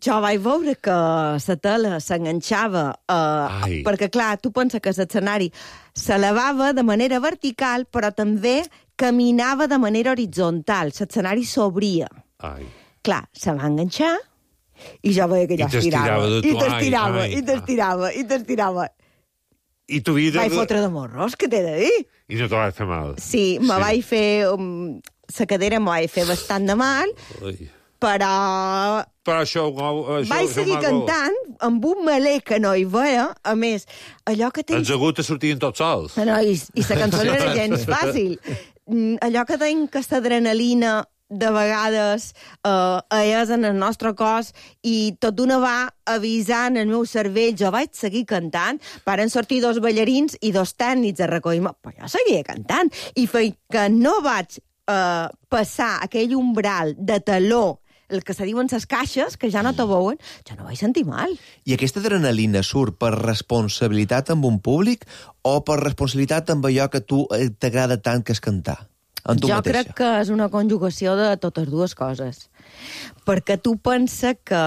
Jo vaig veure que la tela s'enganxava, Ai. eh, perquè, clar, tu penses que l'escenari s'elevava de manera vertical, però també caminava de manera horitzontal. L'escenari s'obria. Ai. Clar, se va enganxar i jo veia que I ja t'estirava estirava. de tu, I t'estirava, ai, ai. i t'estirava, i t'estirava. I tu vida... Vaig fotre de morros, què t'he de dir? I no te vas fer mal. Sí, me Sí. vaig fer... Um, la cadera me vaig fer bastant de mal, Ui. però... Però això... això vaig això seguir cantant amb un melé que no hi veia. A més, allò que tens... Els aguts sortien tots sols. No, i, i la cançó no era gens fàcil. Allò que tenim aquesta adrenalina de vegades eh, és en el nostre cos i tot d'una va avisant el meu cervell. Jo vaig seguir cantant, varen sortir dos ballarins i dos tècnics a recollir-me, però jo seguia cantant. I feia que no vaig eh, passar aquell umbral de taló, el que se diuen les caixes, que ja no te veuen, jo no vaig sentir mal. I aquesta adrenalina surt per responsabilitat amb un públic o per responsabilitat amb allò que tu t'agrada tant, que és cantar? Jo mateixa. crec que és una conjugació de totes dues coses. Perquè tu pensa que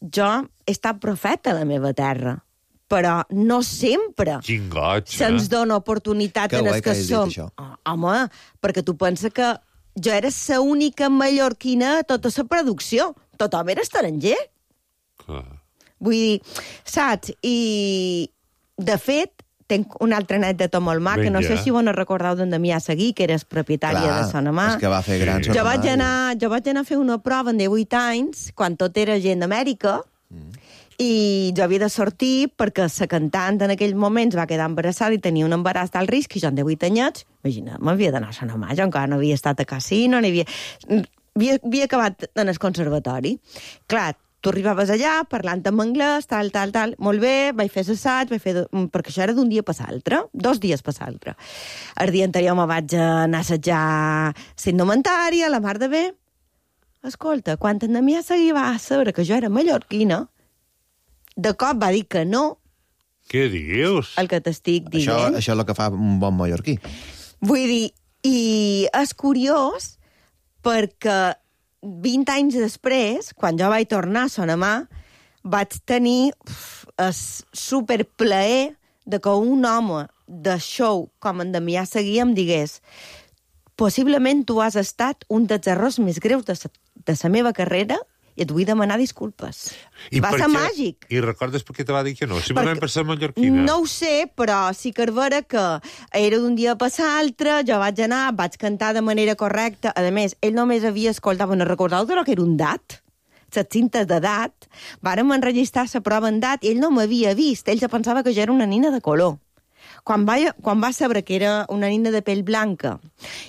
jo he estat profeta a la meva terra, però no sempre Quin goig, eh? se'ns dona oportunitat Que en guai els que que hagis dit som. això. Oh, home, perquè tu pensa que jo era la única mallorquina a tota la producció. Tothom era estranger. Clar. Vull dir, saps? I, de fet, tenc una altra anècdota molt maca, que no sé si vos no recordeu d'en Damià Seguí, que eres propietària Clar, de Sonamà. és que va fer gran Jo Sonamà. vaig, anar, jo vaig anar a fer una prova en divuit anys, quan tot era gent d'Amèrica, mm. i jo havia de sortir perquè la cantant en aquells moments va quedar embarassada i tenia un embaràs d'alt risc, i jo en divuit anyets, imagina, m'havia d'anar a Sonamà, jo encara no havia estat a casino, no havia... Havia, havia acabat en el conservatori. Clar, tu arribaves allà parlant en anglès, tal, tal, tal, molt bé, vaig fer l'assaig, vaig fer... perquè això era d'un dia per l'altre, dos dies per l'altre. El dia anterior me vaig anar a assajar la indumentària, la mar de bé. Escolta, quan en Damià Seguí va saber que jo era mallorquina, de cop va dir que no. Què dius? El que t'estic dient. Això, això és el que fa un bon mallorquí. Vull dir, i és curiós perquè vint anys després, quan jo vaig tornar a Sonamà, vaig tenir uf, el superplaer de que un home de show com en Damià Seguí em digués possiblement tu has estat un dels errors més greus de sa, de la meva carrera i et vull demanar disculpes. I va per ser què? màgic. I recordes per què te va dir que no? Simplement Perquè- per ser mallorquina? No ho sé, però sí que és vera que era d'un dia per l'altre, jo vaig anar, vaig cantar de manera correcta. A més, ell només havia escoltat, no recordeu de lo que era un dat? Les cintes de dat. Vàrem enregistrar la prova en dat i ell no m'havia vist. Ell ja pensava que jo era una nina de color. Quan va, quan va saber que era una nina de pell blanca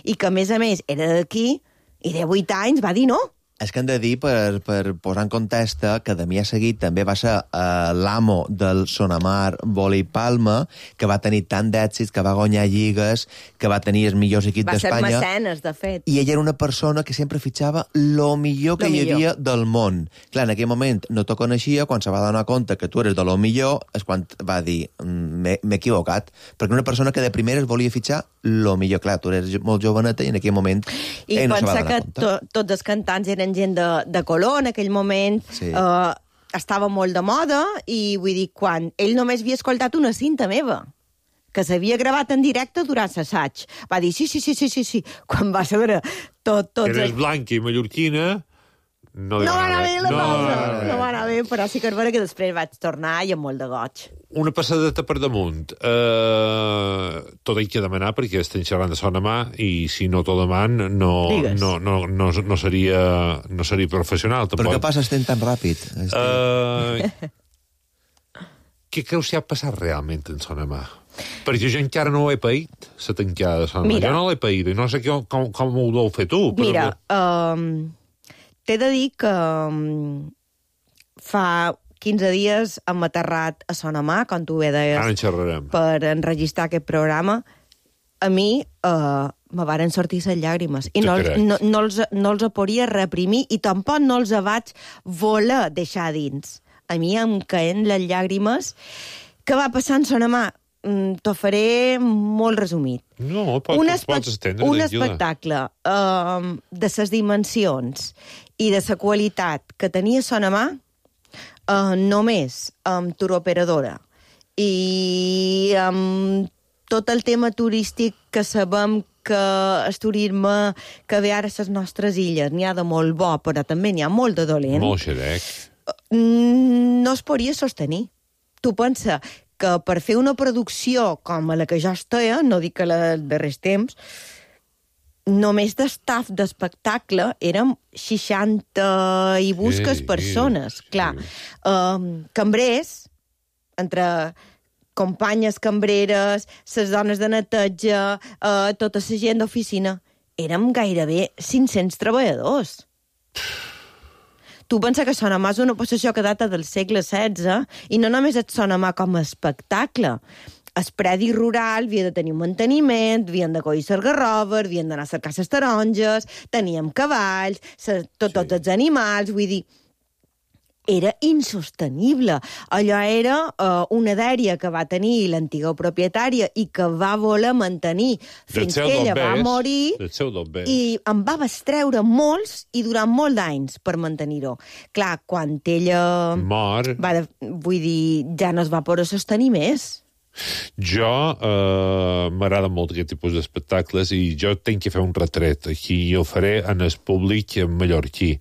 i que, a més a més, era d'aquí, i de vuit anys, va dir no. És que hem de dir, per, per posar en context, que Damià Seguí també va ser eh, l'amo del Sonamar Vòlei Palma, que va tenir tant d'èxits, que va guanyar lligues, que va tenir els millors equips Va ser d'Espanya. mecenes, de fet. I ella era una persona que sempre fitxava lo millor que Lo hi millor. havia del món. Clar, en aquell moment no te coneixia, quan se va donar compte que tu eres de lo millor, és quan va dir, m'he m'he equivocat, perquè una persona que de primeres volia fitxar lo millor. Clar, tu eres molt joveneta i en aquell moment I ell no se va pensa donar que compte. to, tots els cantants eren gent de, de color en aquell moment, Sí. eh, estava molt de moda, i vull dir, quan ell només havia escoltat una cinta meva, que s'havia gravat en directe durant l'assaig, va dir sí, sí, sí, sí, sí, sí. Quan va saber tot, tots... Eres blanca i mallorquina, no, No va anar bé la no, cosa, no, no. no va anar bé, però sí que és vera que després vaig tornar i amb molt de goig. Una passadeta per damunt. Uh, tot hi que demanar, perquè estem xerrant de Sonamà, i si no t'ho deman, no, Digues. no, no, no, no, seria, no seria professional. Però Tampoc. què passa estem tan ràpid? Uh, què creus que ha passat realment en Sonamà? Perquè jo encara no ho he paït, la tancada de Sonamà. Mira. Jo no l'he paït, i no sé com, com, com ho deu fer tu. Però... Mira, um, t'he de dir que um, fa quinze dies hem aterrat a Sonamà, com tu bé deies, Ara en xerrarem. per enregistrar aquest programa. A mi uh, me varen sortir les llàgrimes i Te no, crec. no, no, els, no els podia reprimir i tampoc no els vaig voler deixar dins. A mi em caen les llàgrimes. Què va passar en Sonamà? Mm, T'ho faré molt resumit. No, pot, un, espe pots estendre. un tranquil·la. espectacle um, de ses dimensions i de la qualitat que tenia Sonamà, uh, només amb turoperadora i amb tot el tema turístic que sabem que el turisme que ve ara a les nostres illes n'hi ha de molt bo, però també n'hi ha molt de dolent, Molt xerec. mm, no es podria sostenir. Tu pensa que per fer una producció com a la que jo estic, no dic que la dels darrers temps, només d'estaf d'espectacle érem seixanta i busques Sí, persones. sí. Clar, um, cambrers, entre companyes cambreres, les dones de neteja, uh, tota la gent d'oficina, érem gairebé cinc-cents treballadors. Tu pensa que Son Amà és una possessió que data del segle setze i no només et Son Amà com a espectacle. El predi rural havia de tenir un manteniment, havien de collir les garroves, havien d'anar a cercar les taronges, teníem cavalls, ses, tot, tots els animals, vull dir, era insostenible. Allò era uh, una dèria que va tenir l'antiga propietària i que va voler mantenir fins que ella va morir i en va bestreure molts i durant molts d'anys per mantenir-ho. Clar, quan ella... Mor. Va de, vull dir, ja no es va poder sostenir més. Jo eh, m'agrada molt aquest tipus d'espectacles i jo tinc que fer un retret aquí i el faré en el públic mallorquí.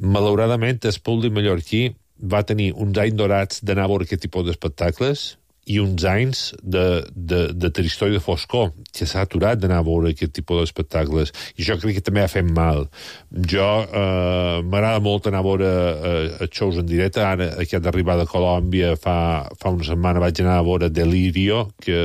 Malauradament, el públic mallorquí va tenir uns anys dorats d'anar a veure aquest tipus d'espectacles i uns anys de, de, de tristor i de foscor, que s'ha aturat d'anar a veure aquest tipus d'espectacles. I jo crec que també ha fet mal. Jo eh, m'agrada molt anar a veure eh, shows en directe. Ara, aquest d'arribar de Colòmbia, fa, fa una setmana vaig anar a veure Delirio, que,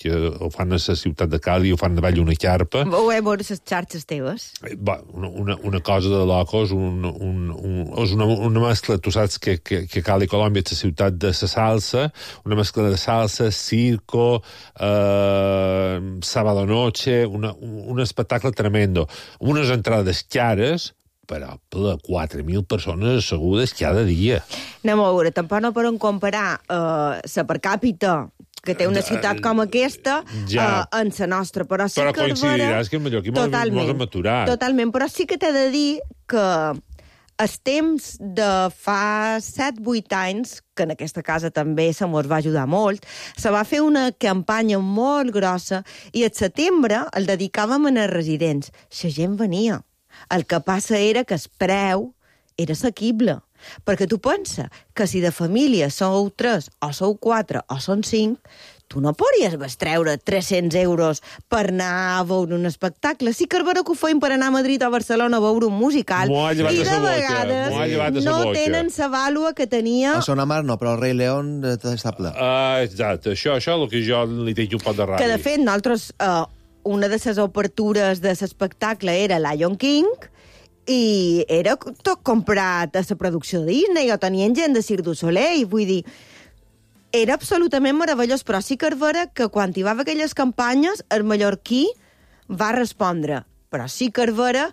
que ho fan a la ciutat de Cali, ho fan davall una carpa. Ho he veure les xarxes teves. Va, una, una, una cosa de locos, un, un, un, és una, una mescla, tu saps que, que, que Cali, Colòmbia, és la ciutat de la salsa, una mescla de salsa, circo, eh, sábado noche, una, un espectacle tremendo. Unes entrades cares, però per quatre mil persones assegudes cada dia. Anem a veure, tampoc no podem comparar eh, la per càpita que té una ciutat com aquesta ja. eh, en la nostra, però sí però que... Però coincidiràs que en Mallorquí mos hem aturat. Totalment, però sí que t'he de dir que els temps de fa set vuit anys, que en aquesta casa també se mos va ajudar molt, se va fer una campanya molt grossa i al setembre el dedicàvem a els residents. La gent venia. El que passa era que el preu era assequible. Perquè tu pensa que si de família sou tres, o sou quatre, o són cinc, tu no podries bestreure tres-cents euros per anar a veure un espectacle. Sí que és vera que ho feim per anar a Madrid o a Barcelona a veure un musical. I de vegades no tenen la vàlua que tenia... A Son Amar no, però el Rei León està ple. Uh, exacte, això, això és el que jo li tinc un pot de ràdio. Que, de fet, nosaltres, uh, una de les obertures de l'espectacle era Lion King, i era tot comprat a la producció de Disney, o tenien gent de Cirque du Soleil, vull dir... Era absolutament meravellós, però sí que és vera que quan hi va haver aquelles campanyes, el mallorquí va respondre. Però sí que és vera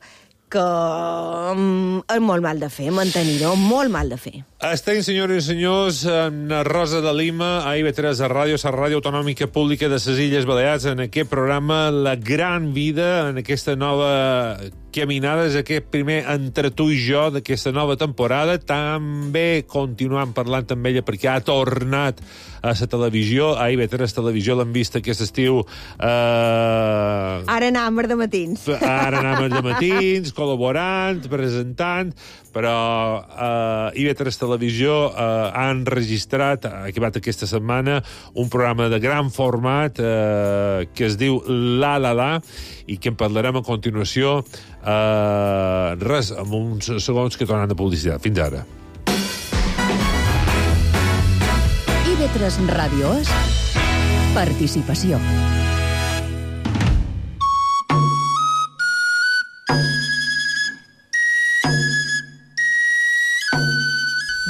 que um, és molt mal de fer, mantenir-ho, molt mal de fer. Estem, senyores i senyors, en Rosa de Lima, a I V tres de Ràdio, la ràdio autonòmica pública de les Illes Balears, en aquest programa La Gran Vida, en aquesta nova caminada, és aquest primer entre tu i jo d'aquesta nova temporada. També continuant parlant amb ella perquè ha tornat a la televisió, a I V tres Televisió, l'hem vist aquest estiu. Eh... Ara anàvem de matins. Ara anàvem de matins, col·laborant, presentant, però eh, I V tres Televisió eh, ha enregistrat, ha acabat aquesta setmana, un programa de gran format eh, que es diu La La La, i que en parlarem a continuació. Eh, res, amb uns segons que tornen de publicitat. Fins ara. I V tres Ràdio és participació.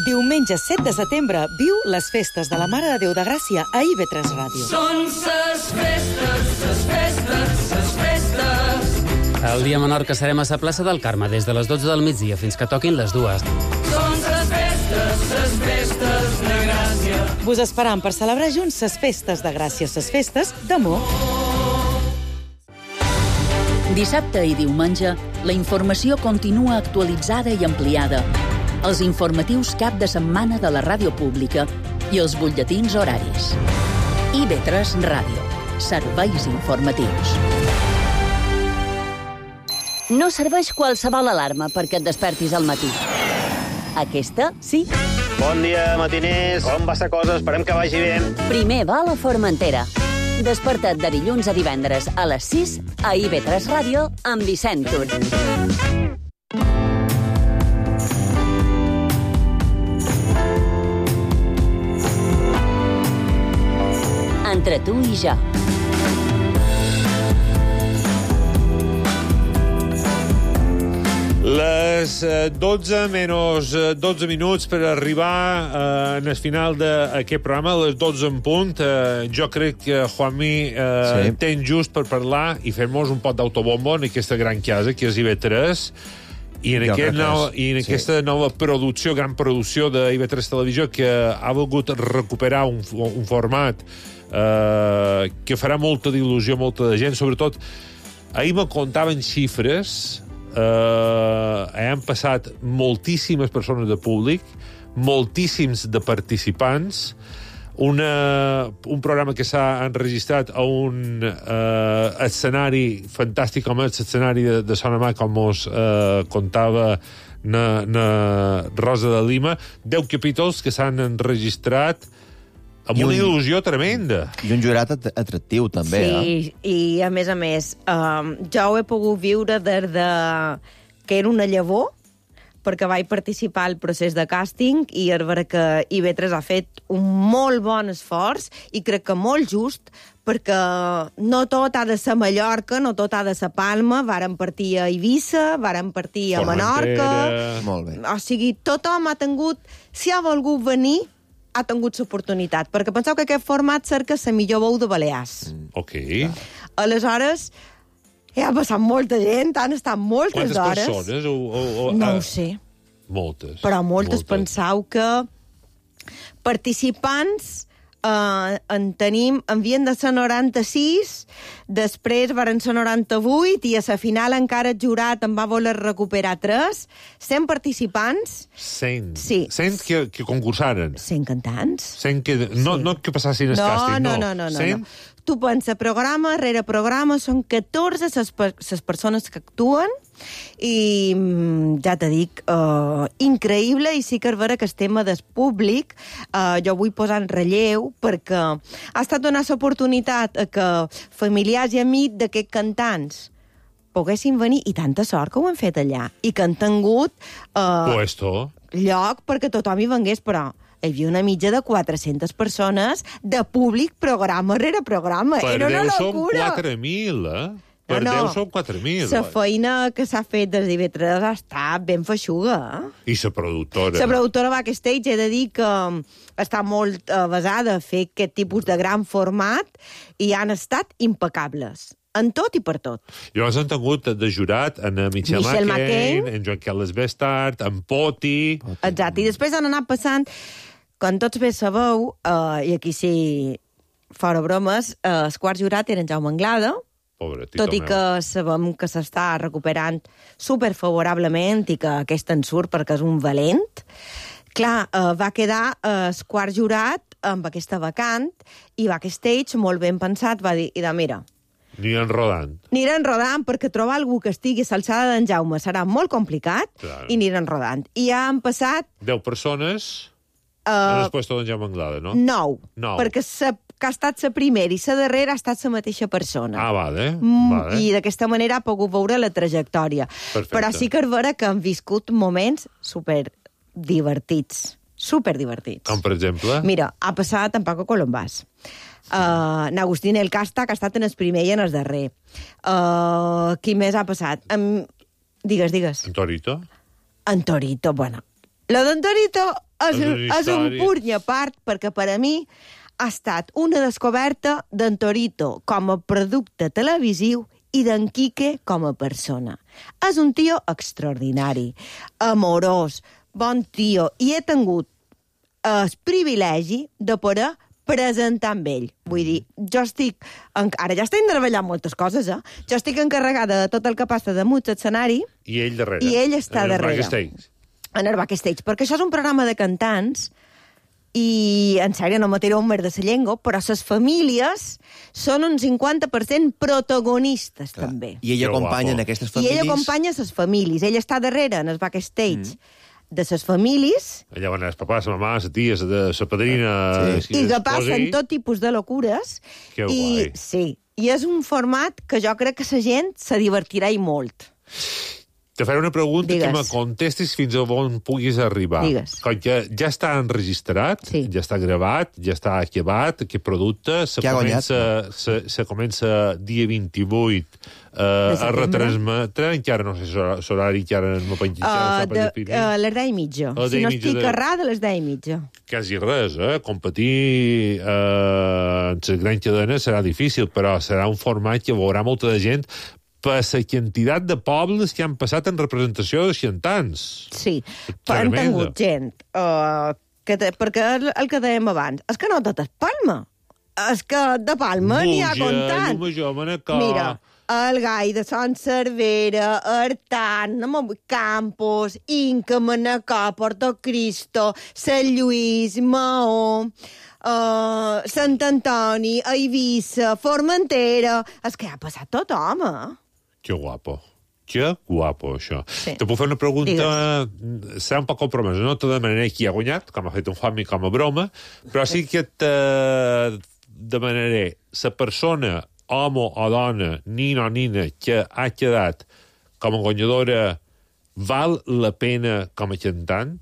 Diumenge set de setembre viu les festes de la Mare de Déu de Gràcia a I V tres Ràdio. Són ses festes, ses festes, ses festes. El dia menor que serem a la plaça del Carme des de les dotze del migdia fins que toquin les dues. Són ses festes, ses festes de Gràcia. Vos esperam per celebrar junts ses festes de Gràcia, ses festes d'amor. Dissabte i diumenge, la informació continua actualitzada i ampliada. Els informatius cap de setmana de la ràdio pública i els butlletins horaris. I V tres Ràdio. Serveis informatius. No serveix qualsevol alarma perquè et despertis al matí. Aquesta, sí. Bon dia, matiners. Com va la cosa? Esperem que vagi bé. Primer va a la Formentera. Desperta't de dilluns a divendres a les sis a I V tres Ràdio amb Vicent Tur. Entre tu i jo. Les dotze menys dotze minuts per arribar eh, en el final d'aquest programa, a les dotze en punt. Eh, jo crec que Juanmi eh, sí. ten just per parlar i fer-nos un pot d'autobombo en aquesta gran casa que és I V tres i en, aquest nou, i en sí. aquesta nova producció, gran producció de I V tres Televisió, que ha volgut recuperar un, un format eh, que farà molta d'il·lusió a molta de gent. Sobretot, ahir me contaven xifres. Uh, han passat moltíssimes persones de públic, moltíssims de participants, una, un programa que s'ha enregistrat a un uh, escenari fantàstic com és l'escenari de, de Sonamà, com us uh, contava na, na Rosa de Lima. deu capítols que s'han enregistrat amb una il·lusió tremenda. I un jurat atractiu, també, sí, eh? Sí, i a més a més, um, jo ho he pogut viure des de que era una llavor, perquè vaig participar al procés de càsting i és vera que I V tres ha fet un molt bon esforç i crec que molt just, perquè no tot ha de ser Mallorca, no tot ha de ser Palma, varen partir a Eivissa, varen partir a Menorca. Molt bé. O sigui, tothom ha tingut, si ha volgut venir, ha tingut l'oportunitat, perquè penseu que aquest format cerca la millor veu de Balears. Mm, ok. Aleshores, hi ha passat molta gent, han estat moltes Quantes hores. Quantes persones? O, o, o, no uh, ho sé. Moltes. Però moltes, moltes. penseu que participants eh, en tenim, havien de ser noranta-sis, després varen ser noranta-vuit, i a la final encara el jurat en va voler recuperar tres, cent participants. cent? Sí. cent que, que concursaren? cent cantants. cent que... No, Sí. no que passassin el no, càsting, no. No, no, no, cent? no. Tu pensa, programa rere programa, són catorze les per persones que actuen, i ja te dic, uh, increïble, i sí que és vera que el tema del públic uh, jo vull posar en relleu, perquè ha estat donar l'oportunitat a que familiars i amics d'aquests cantants poguessin venir, i tanta sort que ho han fet allà, i que han tingut uh, Puesto. lloc perquè tothom hi vengués, però hi havia una mitja de quatre-centes persones de públic programa rere programa. Per Era una Déu som locura. quatre mil, eh? Per no, Déu no. som quatre mil. La feina que s'ha fet des d'I V tres ha estat ben feixuga, eh? I la productora. La productora Backstage, he de dir que està molt uh, basada a fer aquest tipus de gran format, i han estat impecables. En tot i per tot. Llavors han tingut de jurat en Michel, Michel McCain, McCain, en Joan Carles Bestart, en Poti... Exacte. I després han anat passant, com tots bé sabeu, uh, i aquí sí, fora bromes, uh, el quart jurat era en Jaume Anglada, Pobre, tito tot i meu. que sabem que s'està recuperant superfavorablement i que aquest en surt perquè és un valent. Clar, uh, va quedar uh, el quart jurat amb aquesta vacant, i Backstage, molt ben pensat, va dir, idà, mira, Aniran rodant. aniran rodant, perquè trobar algú que estigui a l'alçada d'en Jaume serà molt complicat, Claro. i aniran rodant. I ja han passat Deu persones uh, en el puesto d'en Jaume Anglada, no? nou, Nou. perquè sa, que ha estat la primera i la darrera ha estat la mateixa persona. Ah, vale. Mm, vale. I d'aquesta manera ha pogut veure la trajectòria. Perfecte. Però sí que és vera que han viscut moments super divertits. Super divertits. Com, per exemple? Mira, ha passat en Paco Colombàs. Uh, N'Agustín El Casta, que ha estat en el primer i en el darrer. Uh, qui més ha passat? Um, digues, digues. En Torito? En Torito, bueno. Lo d'en Torito és, És una és un història. punt i a part, perquè per a mi ha estat una descoberta d'en Torito com a producte televisiu i d'en Quique com a persona. És un tio extraordinari, amorós, bon tio, i he tingut el privilegi de poder presentar amb ell. Vull dir, jo estic... Ara ja estic treballant moltes coses, eh? Jo estic encarregada de tot el que passa damunt l'escenari, I ell darrere. i ell està en el darrere. backstage. En el backstage, perquè això és un programa de cantants, i, en sèrio, no me tireu un mer de la llengua, però les famílies són un cinquanta per cent protagonistes, també. I ell Que acompanya guapo. en aquestes I famílies... ell acompanya les famílies. Ell està darrere, en el backstage, mm. de les famílies... Allà van els papàs, la mamà, la tia, la padrina... Sí. I que passen tot tipus de locures. Que i, guai. Sí, i és un format que jo crec que la gent se divertirà i molt. Te faré una pregunta Digues. que me contestis fins a on puguis arribar. Digues. Com que ja està enregistrat, Sí. ja està gravat, ja està acabat, aquest producte, se Que ha comença, se, se comença dia vint-i-vuit eh, a setembre. retransmetre, encara no sé l'horari, encara no m'ho penjo. Uh, de, uh, les deu i mitja. A les Si deu i no mitja estic de- errada, a les deu i mitja. Quasi res, eh? Competir eh, en les grans cadenes serà difícil, però serà un format que veurà molta de gent per la quantitat de pobles que han passat en representació de xantants. Sí, però han Tremendo. tingut gent. Uh, que te, perquè el, el que dèiem abans, és que no tot és Palma. És que de Palma n'hi ha Buja, comptant. Llumajor, Manacor... Mira, el Gai de Sant Cervera, Artant, Campos, Inca, Manacor, Portocristo, Sant Lluís, Maó, uh, Sant Antoni, Eivissa, Formentera... És que ha passat tothom, eh? Que guapo. Que guapo, això. Sí. Te puc fer una pregunta... Serà un poc compromesa. No te demanaré qui ha guanyat, com ha fet un Juanmi com a broma, però sí que te demanaré la persona, home o dona, nina o nina, que ha quedat com a guanyadora, val la pena com a cantant?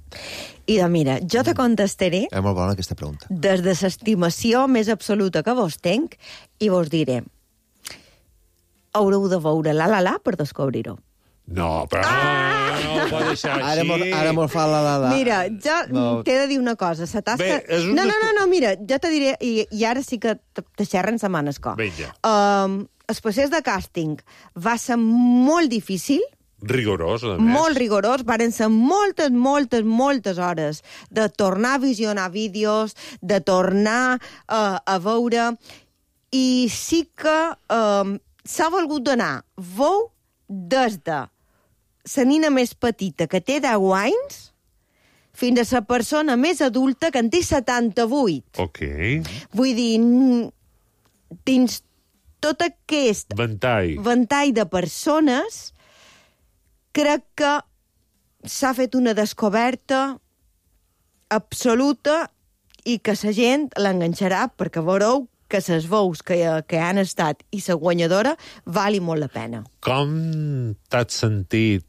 I de, mira, jo te contestaré És molt bona aquesta pregunta. des de l'estimació més absoluta que vos tenc i vos diré haureu de veure La La La per descobrir-ho. No, però ah! no, no ho pot deixar així. Ara mos, ara mos fa la la la. Mira, jo No. t'he de dir una cosa. La tasca... Bé, és un No, no, desco- no, no, mira, jo te diré, i, i ara sí que te te xerren setmanes co. Vinga. Um, el procés de càsting va ser molt difícil, Rigorós, a més. molt rigorós, varen ser moltes, moltes, moltes hores de tornar a visionar vídeos, de tornar uh, a veure, i sí que um, s'ha volgut donar veu des de la nina més petita, que té deu anys, fins a la persona més adulta, que en té setanta-vuit. Ok. Vull dir, n- dins tot aquest Ventall. ventall de persones, crec que s'ha fet una descoberta absoluta i que la gent l'enganxarà, perquè veureu que les veus que, que han estat i la guanyadora vali molt la pena. Com t'has sentit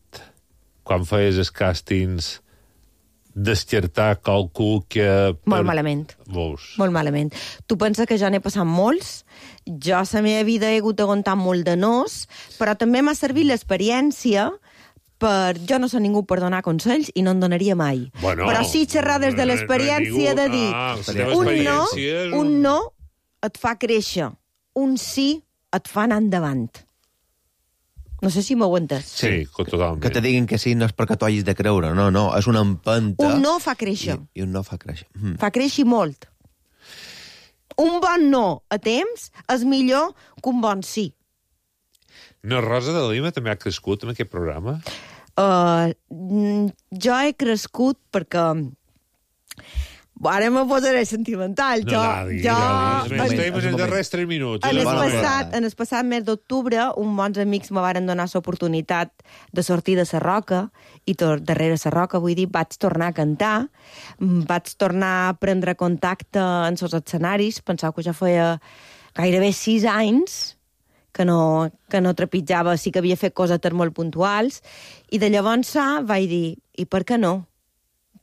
quan feies els càstings descartar qualcú que... Molt malament. Veus? Molt malament. Tu penses que jo n'he passat molts, jo a la meva vida he hagut d'aguantar molt de nos, però també m'ha servit l'experiència per... Jo no soc ningú per donar consells i no en donaria mai. Bueno, però sí xerrar des de no, l'experiència no, de dir ah, la teva un no, experiència és un- un no et fa créixer, un sí et fa anar endavant. No sé si m'ho entes. Sí, totalment. Que te diguin que sí no és perquè t'ho hagis de creure, no, no, és una empenta... Un no fa créixer. I, i un no fa créixer. Mm. Fa créixer molt. Un bon no a temps és millor que un bon sí. No, Rosa de Lima també ha crescut en aquest programa? Uh, mm, jo he crescut perquè... Ara me posaré sentimental. No, jo, Dadi, jo, Dadi, en- estem en- en els en- darrers tres minuts. En el, Bona passat, hora. en el passat mes d'octubre, uns bons amics me varen donar l'oportunitat de sortir de la Roca, i tor darrere la Roca, vull dir, vaig tornar a cantar, mm, vaig tornar a prendre contacte en els escenaris, pensava que ja feia gairebé sis anys que no, que no trepitjava, sí que havia fet cosetes molt puntuals, i de llavors vaig dir, i per què no?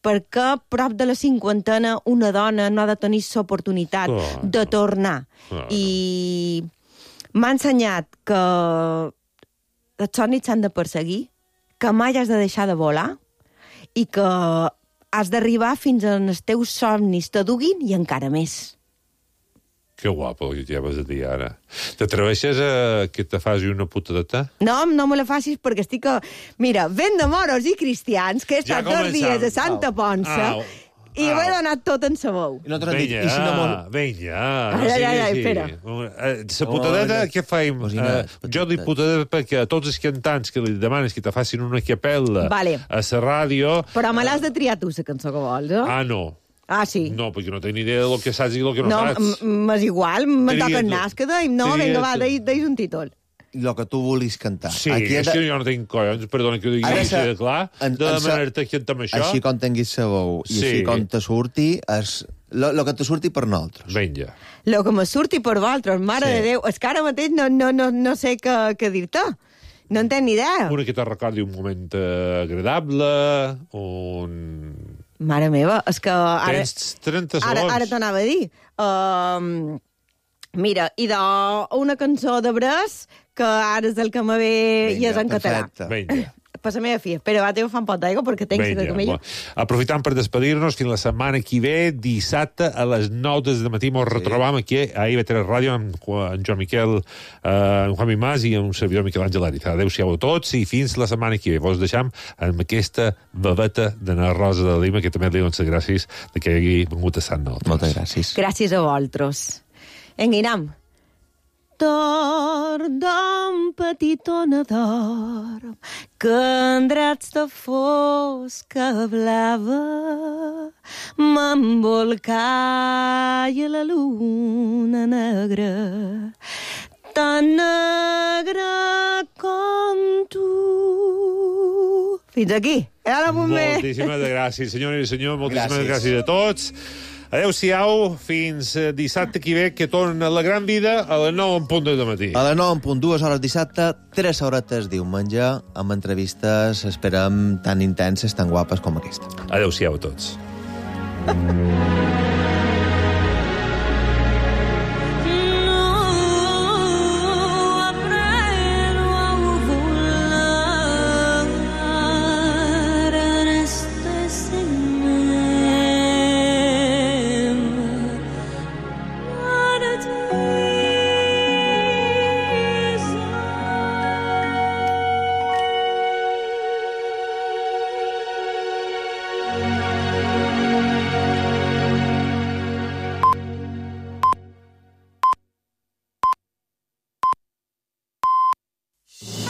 Perquè prop de la cinquantena una dona no ha de tenir l'oportunitat Clar. de tornar. Clar. I m'ha ensenyat que els somnis s'han de perseguir, que mai has de deixar de volar i que has d'arribar fins on els teus somnis te duguin i encara més. Que guapo, que ja vas a dir ara. T'atreveixes a que te faci una putadeta? No, no me la facis perquè estic... A... Mira, vent de moros i cristians, que he Ja estat dos començam. dies a Santa Ponça Au. i Au. ho he donat tot en sa veu. I nosaltres hem dit, Vinga, i si no mos... vinga. Ai, no ai, sigui ai, així. espera. Eh, La putadeta, Oh, què faim? cosina, Eh, jo dic putadeta perquè a tots els cantants que li demanes que te facin una capella Vale. a la ràdio... Però me l'has de triar tu, la cançó que vols, eh? Ah, no. Ah, sí. No, perquè no tinc ni idea del que saps i del que no, No, saps. m- m'és igual, me Tria toca tu. anar, que deim. No, Tria vinga, va, tu. deis, deis un títol. el que tu vulguis cantar. Sí, Aquí és que jo no tinc collons, perdona que ho digui així de clar, en, de en, demanar-te que amb això... Així com tinguis sabó i Sí. així com te surti, és el que te surti per nosaltres. Vinga. Lo que me surti per vosaltres, mare Sí. de Déu. És que ara mateix no, no, no, no sé què, què dir-te. No en tenc ni idea. Una que te recordi un moment eh, agradable, un... Mare meva, és que ara... Tens trenta Ara, segons. ara t'anava a dir. Um, mira, i de una cançó de Bres, que ara és el que me ve i és en català. Vinga. Per la meva filla. Però va, t'ho fa un pot d'aigua perquè tenc Vinga, de camella. bo. Aprofitant per despedir-nos, fins la setmana que ve, dissabte a les nou del matí, ens sí. retrobam aquí a I V tres Ràdio amb en Joan Miquel, eh, en Juan Mimàs i amb un servidor Miquel Àngel Ariza. Adéu-siau a tots i fins la setmana que ve. Vos deixam amb aquesta babeta de na Rosa de Lima, que també li dono les gràcies de que hagi vingut a Sant Nosaltres. Moltes gràcies. Gràcies a vosaltres. Enguinam. Dorm, petitona, dorm, que en drets de fosca blava m'embolcalla la luna negra, tan negra com tu. Fins aquí. Ara bomber. Moltíssimes gràcies, senyores i senyors. Moltíssimes gràcies, Gràcies. a tots. Adéu-siau, fins eh, dissabte que ve, que torna la gran vida a les nou en punt de matí. A les nou en punt, dues hores dissabte, tres horetes diumenge, amb entrevistes, esperem, tan intenses, tan guapes com aquesta. Adéu-siau a tots.